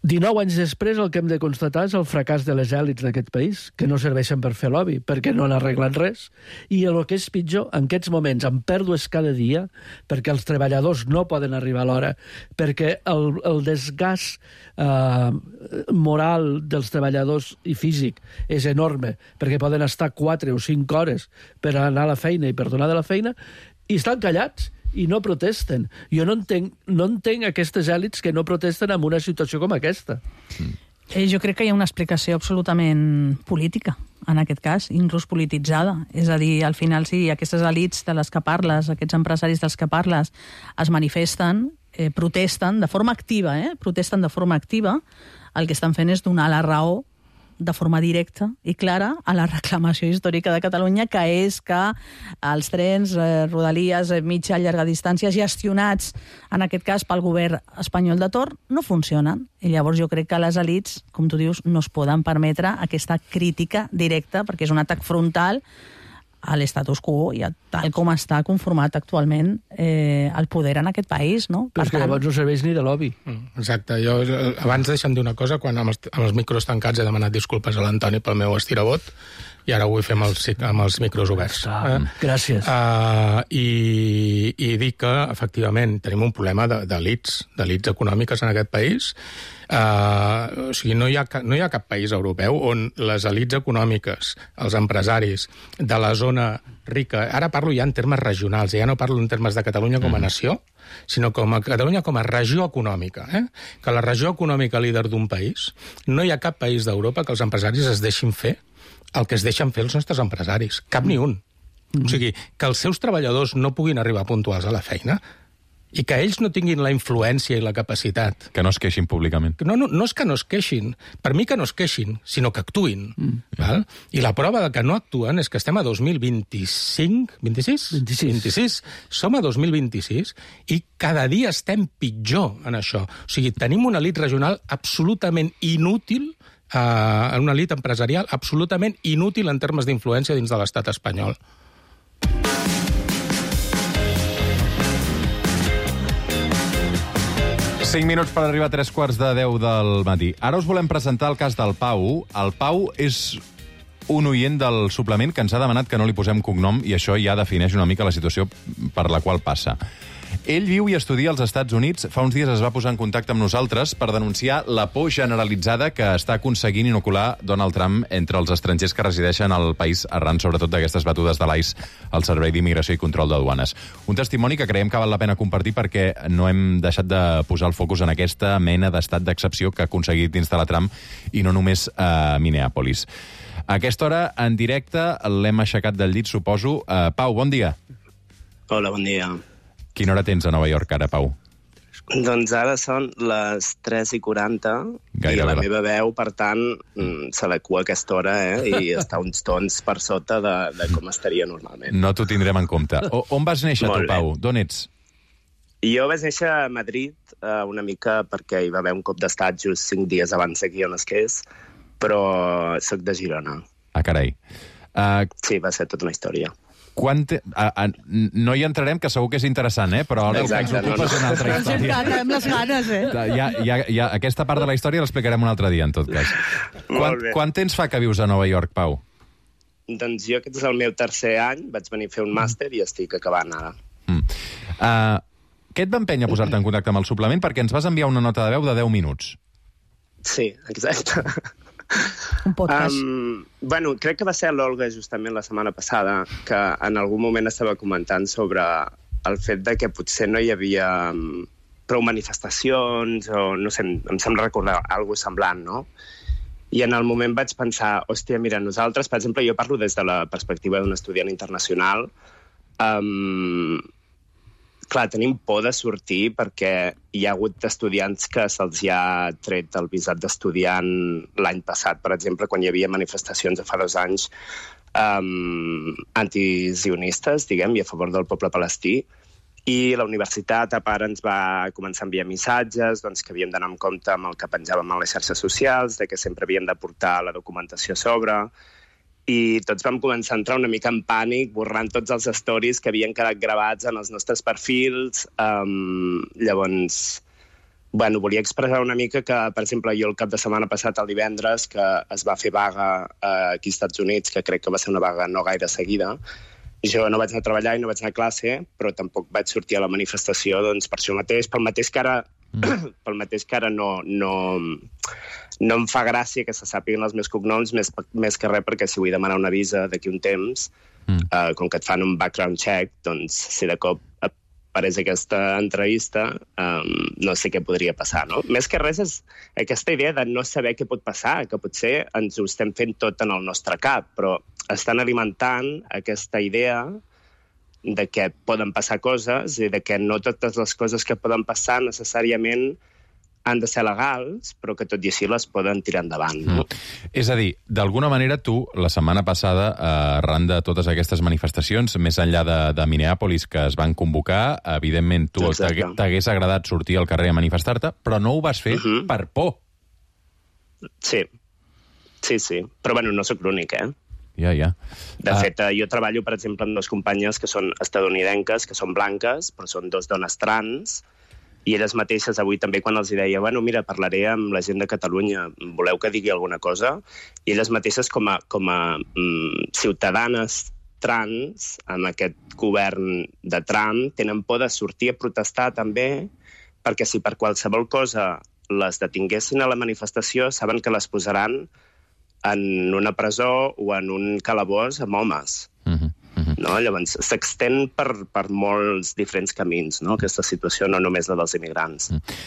dinou anys després, el que hem de constatar és el fracàs de les èlits d'aquest país, que no serveixen per fer lobby, perquè no n'arreglen res, i el que és pitjor, en aquests moments, amb pèrdues cada dia, perquè els treballadors no poden arribar a l'hora, perquè el, el desgast eh, moral dels treballadors i físic és enorme, perquè poden estar quatre o cinc hores per anar a la feina i per tornar de la feina, i estan callats, i no protesten. Jo no entenc, no entenc aquestes èlits que no protesten en una situació com aquesta. Mm. Eh, jo crec que hi ha una explicació absolutament política, en aquest cas, inclús polititzada. És a dir, al final, si aquestes elits de les que parles, aquests empresaris dels que parles, es manifesten, eh, protesten de forma activa, eh? protesten de forma activa, el que estan fent és donar la raó de forma directa i clara a la reclamació històrica de Catalunya, que és que els trens, eh, rodalies, eh, mitja i llarga distància, gestionats, en aquest cas, pel govern espanyol de torn, no funcionen. I llavors jo crec que les elits, com tu dius, no es poden permetre aquesta crítica directa, perquè és un atac frontal a l'estatus quo i a tal com està conformat actualment eh, el poder en aquest país, no? Però és que llavors no serveix ni de lobby. Exacte. Jo, abans deixem dir una cosa, quan amb els, amb els micros tancats he demanat disculpes a l'Antoni pel meu estirabot, i ara ho vull fer amb els, amb els micros oberts. Ah, eh? Gràcies. Uh, i, I dic que, efectivament, tenim un problema d'elits, d'elits econòmiques en aquest país, Uh, o sigui, no hi, ha, no hi ha cap país europeu on les elits econòmiques, els empresaris de la zona rica, ara parlo ja en termes regionals, ja no parlo en termes de Catalunya com a nació, sinó com a Catalunya com a regió econòmica, eh? Que la regió econòmica líder d'un país, no hi ha cap país d'Europa que els empresaris es deixin fer el que es deixen fer els nostres empresaris. Cap ni un. O sigui, que els seus treballadors no puguin arribar puntuals a la feina i que ells no tinguin la influència i la capacitat. Que no es queixin públicament. No, no, no és que no es queixin. Per mi que no es queixin, sinó que actuïn. Mm. Val? I la prova de que no actuen és que estem a dos mil vint-i-cinc... vint-i-sis? vint-i-sis. vint-i-sis. Som a dos mil vint-i-sis i cada dia estem pitjor en això. O sigui, tenim una elit regional absolutament inútil, uh, una elit empresarial absolutament inútil en termes d'influència dins de l'estat espanyol. cinc minuts per arribar a tres quarts de deu del matí. Ara us volem presentar el cas del Pau. El Pau és un oient del suplement que ens ha demanat que no li posem cognom i això ja defineix una mica la situació per la qual passa. Ell viu i estudia als Estats Units. Fa uns dies es va posar en contacte amb nosaltres per denunciar la por generalitzada que està aconseguint inocular Donald Trump entre els estrangers que resideixen al país arran, sobretot, d'aquestes batudes de l'ICE al Servei d'Immigració i Control de Duanes. Un testimoni que creiem que val la pena compartir perquè no hem deixat de posar el focus en aquesta mena d'estat d'excepció que ha aconseguit instal·lar Trump i no només a Minneapolis. A aquesta hora, en directe, l'hem aixecat del llit, suposo. Uh, Pau, bon dia. Hola, bon dia. Quina hora tens a Nova York ara, Pau? Doncs ara són les tres i quaranta i la meva veu, per tant, s'adequa a aquesta hora eh? I està uns tons per sota de, de com estaria normalment. No t'ho tindrem en compte. O, on vas néixer tu, Pau? D'on ets? Jo vaig néixer a Madrid eh, una mica perquè hi va haver un cop d'estat just cinc dies abans d'aquí on es que és, però soc de Girona. Ah, carai. Uh... Sí, va ser tota una història. Quan te... a, a, no hi entrarem, que segur que és interessant, eh? Però ara Exacte, el que ens ocupa no, no. és una altra història. Tenim les ganes, eh? Ja, ja, ja, aquesta part de la història l'explicarem un altre dia, en tot cas. Quan, quan temps fa que vius a Nova York, Pau? Doncs jo aquest és el meu tercer any, vaig venir a fer un màster i estic acabant ara. Mm. Uh, què et va empènyer a posar-te en contacte amb el suplement? Perquè ens vas enviar una nota de veu de deu minuts. Sí, exacte. Un podcast. Um, bueno, crec que va ser l'Olga justament la setmana passada que en algun moment estava comentant sobre el fet de que potser no hi havia um, prou manifestacions o no sé, em sembla recordar alguna cosa semblant, no? I en el moment vaig pensar, hòstia, mira, nosaltres, per exemple, jo parlo des de la perspectiva d'un estudiant internacional, um, clar, tenim por de sortir perquè hi ha hagut estudiants que se'ls ha tret el visat d'estudiant l'any passat, per exemple, quan hi havia manifestacions de fa dos anys um, antizionistes, diguem, i a favor del poble palestí, i la universitat a part ens va començar a enviar missatges doncs, que havíem d'anar en compte amb el que penjàvem a les xarxes socials, de que sempre havíem de portar la documentació a sobre, i tots vam començar a entrar una mica en pànic, borrant tots els stories que havien quedat gravats en els nostres perfils. Um, llavors, bueno, volia expressar una mica que, per exemple, jo el cap de setmana passat, el divendres, que es va fer vaga uh, aquí als Estats Units, que crec que va ser una vaga no gaire seguida, jo no vaig anar a treballar i no vaig anar a classe, però tampoc vaig sortir a la manifestació doncs, per això mateix, pel mateix que ara, mm. pel mateix que ara no... no No em fa gràcia que se sàpiguen els meus cognoms, més, més que res perquè si vull demanar una visa d'aquí un temps, mm. uh, com que et fan un background check, doncs si de cop apareix aquesta entrevista, um, no sé què podria passar, no? Més que res és aquesta idea de no saber què pot passar, que potser ens ho estem fent tot en el nostre cap, però estan alimentant aquesta idea de que poden passar coses i de que no totes les coses que poden passar necessàriament han de ser legals, però que tot i així les poden tirar endavant. No? Mm. És a dir, d'alguna manera tu, la setmana passada, arran de totes aquestes manifestacions, més enllà de, de Minneapolis que es van convocar, evidentment tu t'hagués agradat sortir al carrer a manifestar-te, però no ho vas fer uh-huh. per por. Sí, sí, sí. Però bueno, no sóc l'únic, eh? Ja, ja. De fet, uh... jo treballo, per exemple, amb dues companyes que són estadounidenques, que són blanques, però són dos dones trans, i elles mateixes avui també quan els deia bueno, mira, parlaré amb la gent de Catalunya, voleu que digui alguna cosa? I elles mateixes com a, com a mm, ciutadanes trans amb aquest govern de Trump tenen por de sortir a protestar també perquè si per qualsevol cosa les detinguessin a la manifestació, saben que les posaran en una presó o en un calabós amb homes. Uh-huh. Uh-huh. No? Llavors, s'extén per, per molts diferents camins, no? Aquesta situació, no només la dels immigrants. Uh-huh.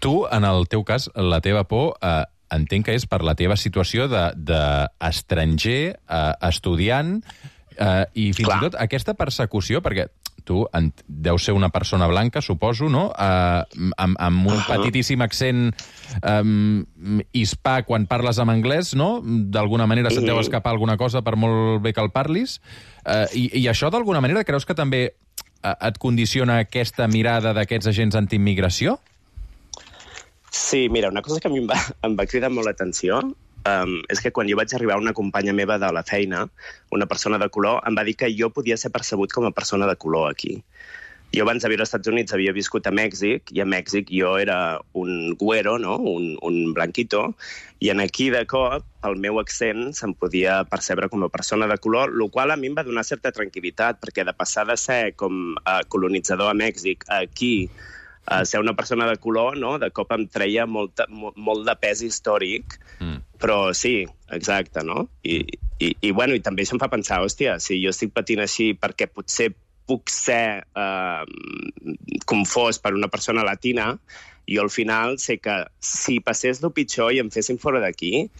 Tu, en el teu cas, la teva por, eh, entenc que és per la teva situació d'estranger, de, de eh, estudiant, eh, i fins Clar. i tot aquesta persecució, perquè tu en, deus ser una persona blanca, suposo, no? Eh, amb, amb un uh-huh. petitíssim accent eh, hispà quan parles en anglès, no? D'alguna manera se't deu escapar alguna cosa per molt bé que el parlis. Eh, i, I això, d'alguna manera, creus que també eh, et condiciona aquesta mirada d'aquests agents antiimmigració? Sí, mira, una cosa que a mi em va, em va cridar molt l'atenció um, és que quan jo vaig arribar, una companya meva de la feina, una persona de color, em va dir que jo podia ser percebut com a persona de color aquí. Jo abans de viure als Estats Units havia viscut a Mèxic, i a Mèxic jo era un güero, no? un, un blanquito, i en aquí, de cop, el meu accent se'm podia percebre com a persona de color, el qual a mi em va donar certa tranquil·litat, perquè de passar de ser com a colonitzador a Mèxic a aquí, Uh, ser una persona de color, no? De cop em treia molt, molt, molt de pes històric, mm. però sí, exacte, no? I, i, i, bueno, i també això em fa pensar, hòstia, si jo estic patint així perquè potser puc ser uh, confós per una persona latina, jo al final sé que si passés el pitjor i em fessin fora d'aquí,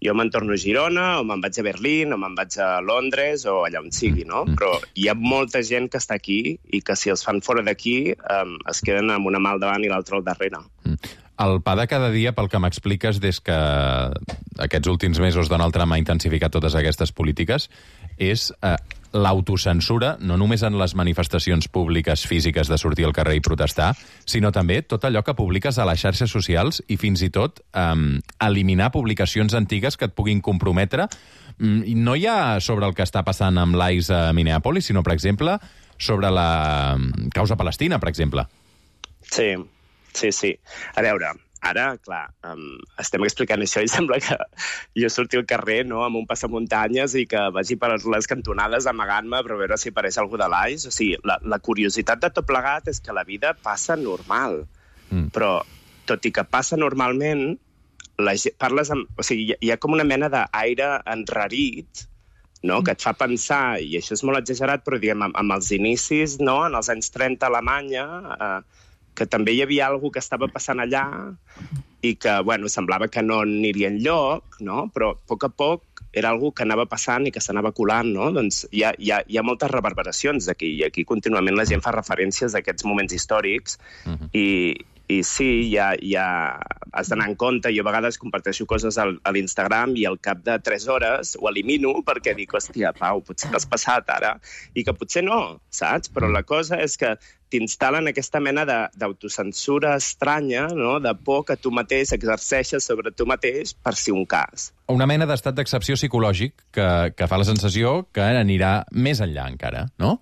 jo me'n torno a Girona, o me'n vaig a Berlín, o me'n vaig a Londres, o allà on sigui, no? Però hi ha molta gent que està aquí i que si els fan fora d'aquí um, es queden amb una mà al davant i l'altra al darrere. El pa de cada dia, pel que m'expliques, des que aquests últims mesos Donald Trump ha intensificat totes aquestes polítiques, és eh, l'autocensura, no només en les manifestacions públiques físiques de sortir al carrer i protestar, sinó també tot allò que publiques a les xarxes socials i fins i tot eh, eliminar publicacions antigues que et puguin comprometre. No hi ha sobre el que està passant amb l'I C E a Minneapolis, sinó, per exemple, sobre la causa palestina, per exemple. Sí, sí, sí. A veure, ara, clar, um, estem explicant això i sembla que jo surti al carrer, no?, amb un passamuntanyes i que vagi per les cantonades amagant-me per veure si apareix algú de l'I C E. O sigui, la, la curiositat de tot plegat és que la vida passa normal. Mm. Però, tot i que passa normalment, la, parles amb, o sigui, hi ha com una mena d'aire enrarit, no?, que et fa pensar, i això és molt exagerat, però diguem, amb, amb els inicis, no?, en els anys trenta a Alemanya, eh, que també hi havia alguna que estava passant allà i que, bueno, semblava que no aniria enlloc, no?, però a poc a poc era alguna que anava passant i que s'anava colant, no? Doncs hi ha, hi ha, hi ha moltes reverberacions d'aquí, i aquí contínuament la gent fa referències a aquests moments històrics, uh-huh. i, i sí, ja, ja has d'anar en compte. Jo a vegades comparteixo coses al, a l'Instagram i al cap de tres hores ho elimino perquè dic, hòstia, Pau, potser t'has passat ara, i que potser no, saps? Però la cosa és que t'instal·len aquesta mena d'autocensura estranya, no?, de por que tu mateix exerceixes sobre tu mateix per si un cas. Una mena d'estat d'excepció psicològic que, que fa la sensació que anirà més enllà encara, no?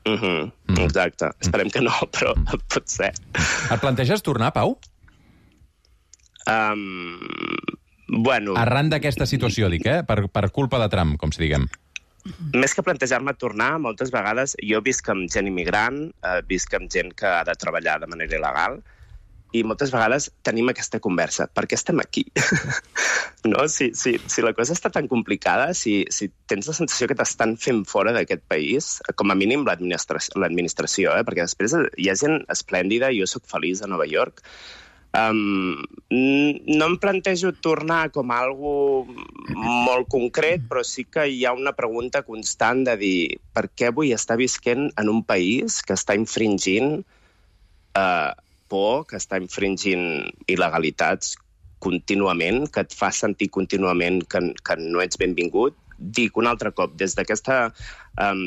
Uh-huh. Mm. Exacte. Esperem que no, però mm. pot ser. Et planteges tornar, Pau? Um, bueno... Arran d'aquesta situació, dic, eh? Per, per culpa de Trump, com si diguem. Més que plantejar-me tornar, moltes vegades jo visc amb gent immigrant, eh, visc amb gent que ha de treballar de manera il·legal, i moltes vegades tenim aquesta conversa. Per què estem aquí? No? Si, si, si la cosa està tan complicada, si, si tens la sensació que t'estan fent fora d'aquest país, com a mínim l'administració, eh? Perquè després hi ha gent esplèndida, jo sóc feliç a Nova York, Um, no em plantejo tornar com a algo molt concret, però sí que hi ha una pregunta constant de dir per què vull estar visquent en un país que està infringint uh, por, que està infringint il·legalitats contínuament, que et fa sentir contínuament que, que no ets benvingut. Dic un altre cop, des d'aquesta um,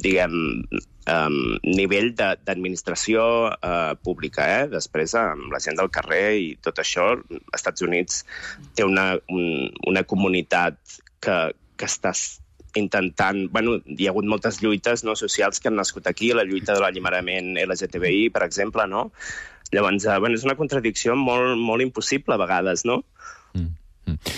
diguem um, nivell d'administració uh, pública, eh? Després amb la gent del carrer i tot això, als Estats Units té una, un, una comunitat que, que està intentant... Bueno, hi ha hagut moltes lluites, no, socials que han nascut aquí, la lluita de l'alliberament L G T B I, per exemple, no? Llavors, uh, bueno, és una contradicció molt, molt impossible a vegades, no? Mm. Mm.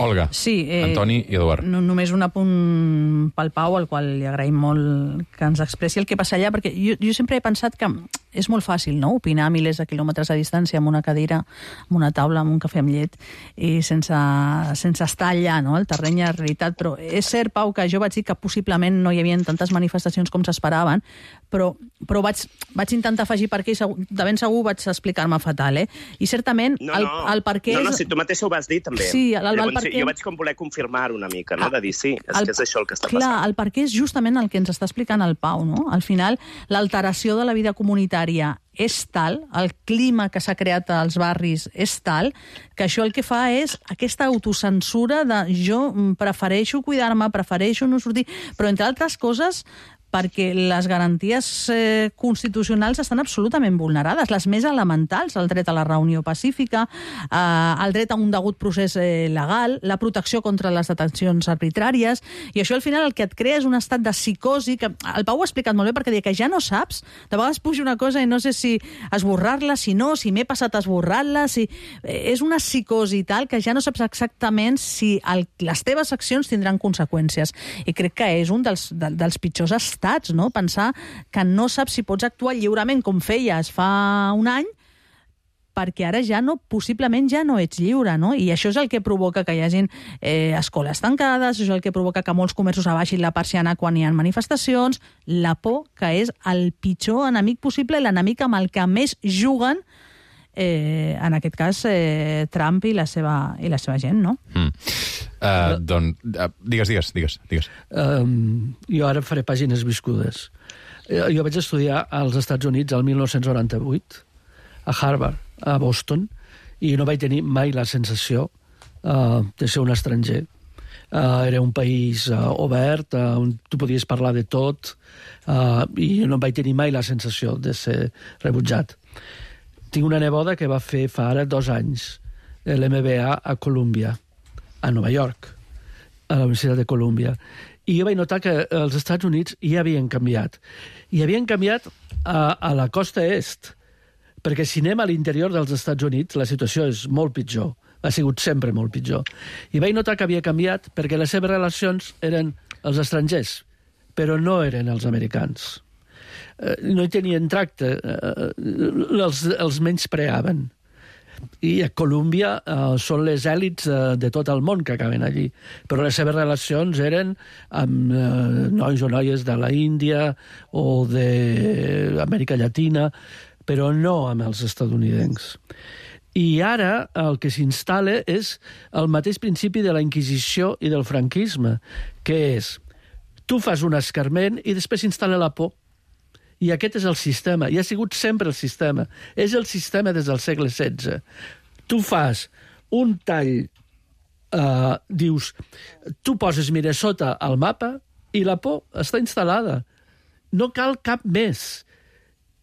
Olga, sí, eh, Antoni i Eduard. No, només un apunt pel Pau, al qual li agraïm molt que ens expressi el que passa allà, perquè jo, jo sempre he pensat que és molt fàcil, no?, opinar a milers de quilòmetres a distància amb una cadira, amb una taula, amb un cafè amb llet, i sense, sense estar allà, no?, el terreny de realitat. Però és cert, Pau, que jo vaig dir que possiblement no hi havia tantes manifestacions com s'esperaven, però, però vaig, vaig intentar afegir per què, i segur, de ben segur vaig explicar-me fatal, eh? I certament, no, el, no. el per què... No, no, és... si tu mateix ho vas dir, també. Sí, el, el, Llavors, el per què... jo vaig com voler confirmar una mica, no?, de dir sí, és el, que és això el que està clar, passant. Clar, el per què és justament el que ens està explicant el Pau, no? Al final, l'alteració de la vida comunitària és tal, el clima que s'ha creat als barris és tal, que això el que fa és aquesta autocensura de jo prefereixo cuidar-me, prefereixo no sortir, però entre altres coses perquè les garanties eh, constitucionals estan absolutament vulnerades, les més elementals, el dret a la reunió pacífica, eh, el dret a un degut procés eh, legal, la protecció contra les detencions arbitràries, i això al final el que et crea és un estat de psicosi, que el Pau ho ha explicat molt bé, perquè deia que ja no saps, de vegades puja una cosa i no sé si esborrar-la, si no, si m'he passat esborrant-la, si... és una psicosi tal que ja no saps exactament si el, les teves accions tindran conseqüències, i crec que és un dels, de, dels pitjors estats, no? Pensar que no saps si pots actuar lliurement com feies fa un any, perquè ara ja no, possiblement ja no ets lliure, no? I això és el que provoca que hi hagin eh, escoles tancades, això és el que provoca que molts comerços abaixin la persiana quan hi ha manifestacions, la por, que és el pitjor enemic possible, l'enemic amb el que més juguen, eh, en aquest cas, eh, Trump i la seva, i la seva gent, no? Mm. Uh, doncs, uh, digues, digues, digues. digues. Um, jo ara faré pàgines viscudes. Uh, jo vaig estudiar als Estats Units el mil nou-cents noranta-vuit, a Harvard, a Boston, i no vaig tenir mai la sensació uh, de ser un estranger. Uh, era un país uh, obert, uh, on tu podies parlar de tot, uh, i no vaig tenir mai la sensació de ser rebutjat. Tinc una neboda que va fer fa ara dos anys l'M B A a Columbia, a Nova York, a la Universitat de Columbia. I jo vaig notar que els Estats Units ja havien canviat. I havien canviat a, a la costa est, perquè si anem a l'interior dels Estats Units la situació és molt pitjor. Ha sigut sempre molt pitjor. I vaig notar que havia canviat perquè les seves relacions eren els estrangers, però no eren els americans. No hi tenien tracte, els, els menyspreaven. I a Colúmbia uh, són les èlits uh, de tot el món que acaben allí, però les seves relacions eren amb uh, nois o noies de la Índia o d'Amèrica Llatina, però no amb els estatunidencs. I ara el que s'instal·la és el mateix principi de la Inquisició i del franquisme, que és tu fas un escarment i després s'instal·la la por. I aquest és el sistema, i ha sigut sempre el sistema. És el sistema des del segle setze. Tu fas un tall, eh, dius, tu poses Minnesota al mapa i la por està instal·lada. No cal cap més,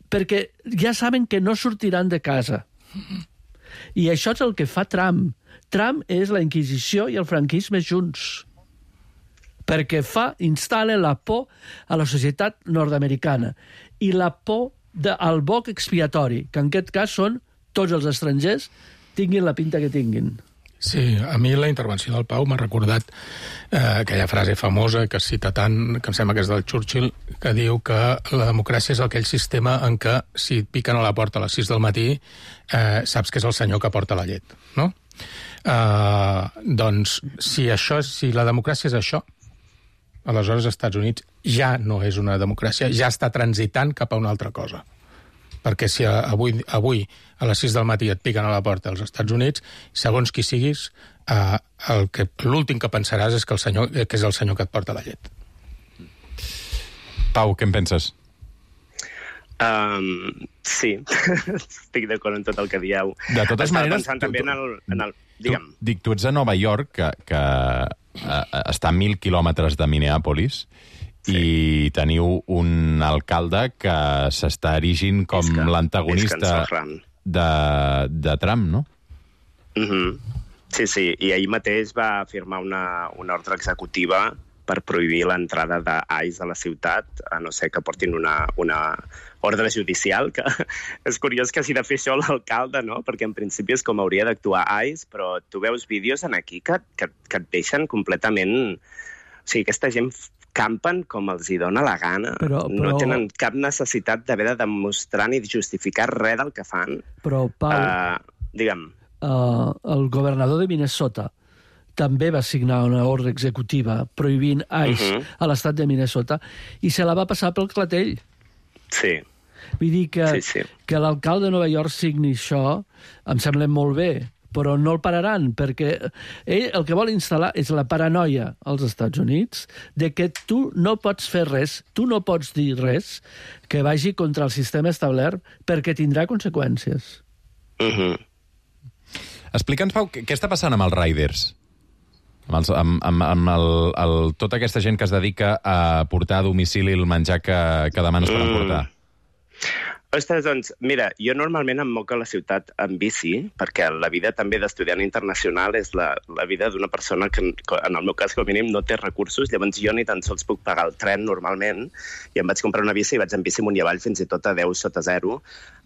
perquè ja saben que no sortiran de casa. I això és el que fa Trump. Trump és la Inquisició i el franquisme junts, perquè fa, instal·la la por a la societat nord-americana i la por del boc expiatori, que en aquest cas són tots els estrangers, tinguin la pinta que tinguin. Sí, a mi la intervenció del Pau m'ha recordat eh, aquella frase famosa que es cita tant, que em sembla que és del Churchill, que diu que la democràcia és aquell sistema en què si et piquen a la porta a les sis del matí eh, saps que és el senyor que porta la llet, no? Eh, doncs, si, això, si la democràcia és això, aleshores als Estats Units ja no és una democràcia, ja està transitant cap a una altra cosa. Perquè si avui, avui a les sis del matí et piquen a la porta als Estats Units, segons qui siguis, eh, el que, l'últim que pensaràs és que, el senyor, que és el senyor que et porta la llet. Pau, què en penses? Um, sí, estic d'acord en tot el que dieu. De totes Estava maneres... pensant també en el... En el digue'm. Tu, dic, tu ets a Nova York, que, que uh, està a mil quilòmetres de Minneapolis, sí. I teniu un alcalde que s'està erigint com Isca, l'antagonista Isca de, de Trump, no? Mm-hmm. Sí, sí, i ahir mateix va firmar una, una ordre executiva per prohibir l'entrada d'Ice a la ciutat, a no ser que portin una, una ordre judicial, que és curiós que hagi de fer això l'alcalde, no? Perquè en principi és com hauria d'actuar Ice, però tu veus vídeos en aquí que, que, que et deixen completament... O sigui, aquesta gent campen com els hi dona la gana. Però, però... No tenen cap necessitat d'haver de demostrar ni justificar res del que fan. Però, Pau... Uh, digue'm. Uh, el governador de Minnesota també va signar una ordre executiva prohibint Ice uh-huh. a l'estat de Minnesota i se la va passar pel clatell. Sí. Vull dir que, sí, sí. que l'alcalde de Nova York signi això em sembla molt bé, però no el pararan, perquè ell el que vol instal·lar és la paranoia als Estats Units de que tu no pots fer res, tu no pots dir res que vagi contra el sistema establert perquè tindrà conseqüències. Uh-huh. Explica'ns, Pau, què està passant amb els riders? Amb, els, amb, amb, amb el, el, tota aquesta gent que es dedica a portar a domicili el menjar que, que demanes per emportar. Mm. Ostres, doncs, mira, jo normalment em moc a la ciutat en bici, perquè la vida també d'estudiant internacional és la, la vida d'una persona que, en el meu cas, com a mínim, no té recursos, llavors jo ni tan sols puc pagar el tren normalment, i em vaig comprar una bici i vaig en bici amunt i avall fins i tot a deu sota zero.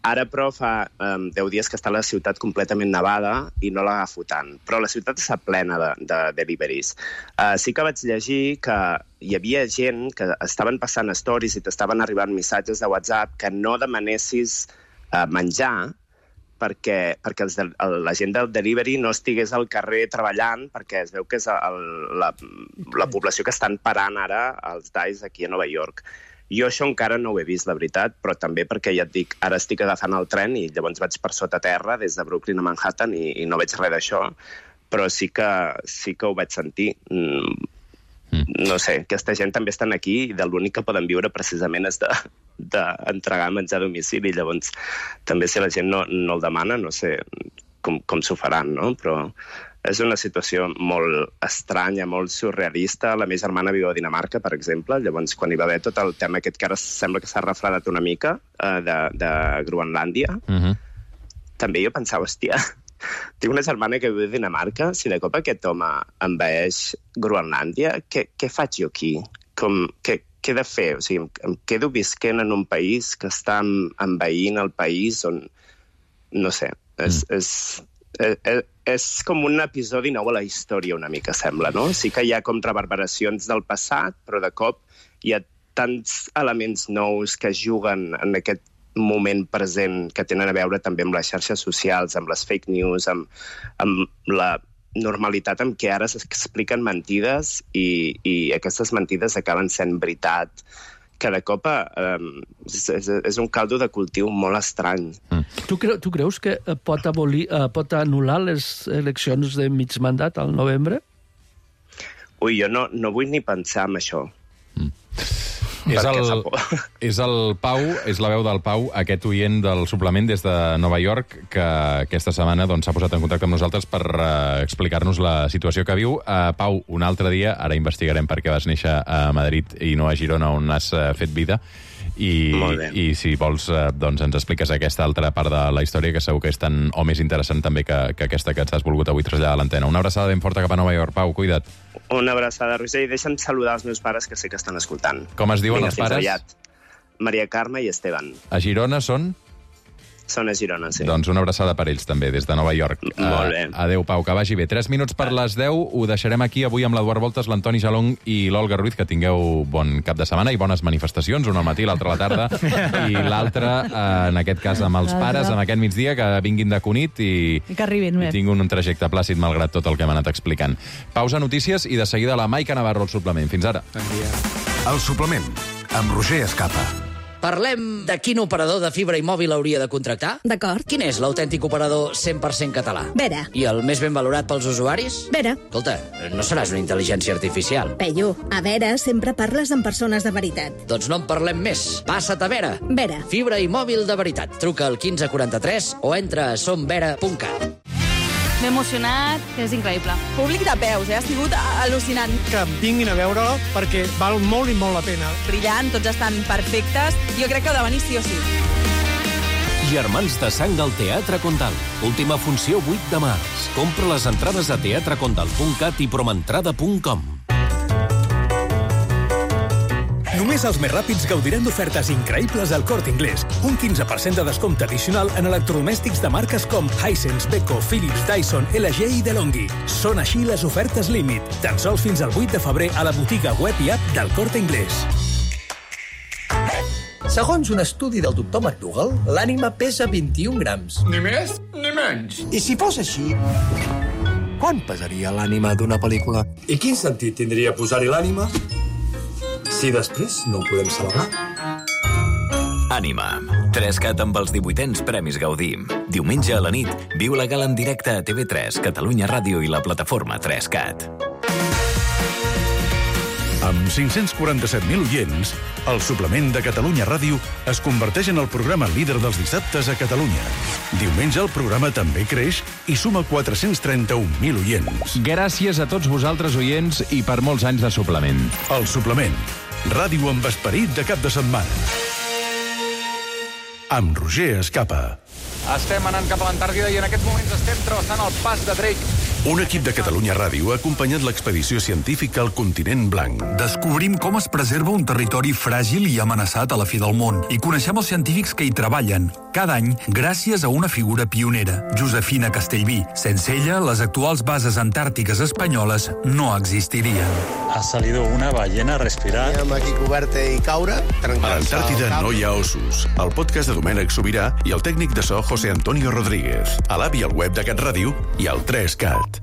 Ara, però, fa um, deu dies que està la ciutat completament nevada i no l'agafo tant. Però la ciutat està plena de, de deliveries. Uh, sí que vaig llegir que hi havia gent que estaven passant stories i t'estaven arribant missatges de WhatsApp que no demanessis uh, menjar perquè, perquè els de, el, la gent del delivery no estigués al carrer treballant, perquè es veu que és el, la, la població que estan parant ara els D I C E aquí a Nova York. Jo això encara no ho he vist, la veritat, però també perquè ja et dic, ara estic agafant el tren i llavors vaig per sota terra des de Brooklyn a Manhattan i, i no veig res d'això, però sí que, sí que ho vaig sentir. Mm, no sé, aquesta gent també estan aquí i de l'únic que poden viure precisament és d'entregar de, menjar a domicili. Llavors, també si la gent no, no el demana, no sé com, com s'ho faran, no? Però és una situació molt estranya, molt surrealista. La meva germana viu a Dinamarca, per exemple. Llavors, quan hi va haver tot el tema aquest que ara sembla que s'ha refredat una mica, eh, de, de Groenlàndia, uh-huh. també jo pensava, hòstia, tinc una germana que viu a Dinamarca, si de cop aquest home envaeix Groenlàndia, què, què faig jo aquí? Com, què, què he de fer? O sigui, em, em quedo visquent en un país que està envaint el país on... No sé, és... Mm. és És, és com un episodi nou a la història, una mica, sembla, no? Sí que hi ha com reverberacions del passat, però de cop hi ha tants elements nous que juguen en aquest moment present que tenen a veure també amb les xarxes socials, amb les fake news, amb, amb la normalitat amb què ara s'expliquen mentides i, i aquestes mentides acaben sent veritat. Que de cop eh, és, és un caldo de cultiu molt estrany. Mm. Tu, creu, tu creus que pot, abolir, uh, pot anul·lar les eleccions de mig mandat al novembre? Ui, jo no, no vull ni pensar en això. Mm. És el, és el Pau, és la veu del Pau, aquest oient del suplement des de Nova York, que aquesta setmana doncs, s'ha posat en contacte amb nosaltres per uh, explicar-nos la situació que viu. Uh, Pau, un altre dia, ara investigarem per què vas néixer a Madrid i no a Girona, on has uh, fet vida, i, i si vols uh, doncs ens expliques aquesta altra part de la història, que segur que és tan o més interessant també que, que aquesta que ens has volgut avui traslladar a l'antena. Una abraçada ben forta cap a Nova York. Pau, cuida't. Una abraçada, Roger, i deixa'm saludar els meus pares, que sé que estan escoltant. Com es diuen Vinga, els pares? Aviat. Maria Carme i Esteban. A Girona són? Són a Girona, sí. Doncs una abraçada per ells, també, des de Nova York. Molt bé. Uh, adéu, Pau, que vagi bé. Tres minuts per les deu, ho deixarem aquí avui amb l'Eduard Voltes, l'Antoni Jalong i l'Olga Ruiz, que tingueu bon cap de setmana i bones manifestacions, una al matí, l'altra a la tarda, i l'altra, uh, en aquest cas, amb els pares, amb aquest migdia, que vinguin de Cunit i, I que arribin bé. I tinguin un trajecte plàcid, malgrat tot el que hem anat explicant. Pausa notícies i de seguida la Maica Navarro al suplement. Fins ara. Bon dia. El suplement, amb Roger Escapa. Parlem de quin operador de fibra i mòbil hauria de contractar? D'acord. Quin és l'autèntic operador cent per cent català? Vera. I el més ben valorat pels usuaris? Vera. Escolta, no seràs una intel·ligència artificial. Peyu, a Vera sempre parles amb persones de veritat. Doncs no en parlem més. Passa't a Vera. Vera. Fibra i mòbil de veritat. Truca al quinze quaranta-tres o entra a som vera punt cat. M'he emocionat, és increïble. Públic de peus, eh? Ha sigut al·lucinant. Que vinguin a veure perquè val molt i molt la pena. Brillant, tots estan perfectes. Jo crec que heu de venir sí o sí. Germans de sang al Teatre Condal. Última funció vuit de març. Compra les entrades a teatre condal punt cat i promentrada punt com. Només els més ràpids gaudiran d'ofertes increïbles al Corte Inglés. Un quinze per cent de descompte addicional en electrodomèstics de marques com Hisense, Beko, Philips, Dyson, L G i DeLonghi. Són així les ofertes límit. Tan sols fins al vuit de febrer a la botiga web i app del Corte Inglés. Segons un estudi del doctor McDougall, l'ànima pesa vint-i-un grams. Ni més ni menys. I si fos així, quan pesaria l'ànima d'una pel·lícula? I quin sentit tindria posar-hi l'ànima si després no ho podem celebrar? Ànima. tres cat amb els divuitens Premis Gaudí. Diumenge a la nit, viu la gala en directe a T V tres, Catalunya Ràdio i la plataforma tres cat. Amb cinc-cents quaranta-set mil oients, el suplement de Catalunya Ràdio es converteix en el programa líder dels dissabtes a Catalunya. Diumenge el programa també creix i suma quatre-cents trenta-un mil oients. Gràcies a tots vosaltres, oients, i per molts anys de suplement. El suplement. Ràdio amb esperit de cap de setmana. Amb Roger Escapa. Estem anant cap a l'Antàrtida i en aquests moments estem travessant el pas de Drake. Un equip de Catalunya Ràdio ha acompanyat l'expedició científica al continent blanc. Descobrim com es preserva un territori fràgil i amenaçat a la fi del món i coneixem els científics que hi treballen, cada any gràcies a una figura pionera, Josefina Castellví. Sense ella, les actuals bases antàrtiques espanyoles no existirien. Ha salido una ballena a respirar. Anem aquí coberta i caure. A l'Antàrtida no hi ha ossos. El podcast de Domènec Sobirà i el tècnic de so José Antonio Rodríguez. A l'app i al web de Cat Ràdio i al tres cat.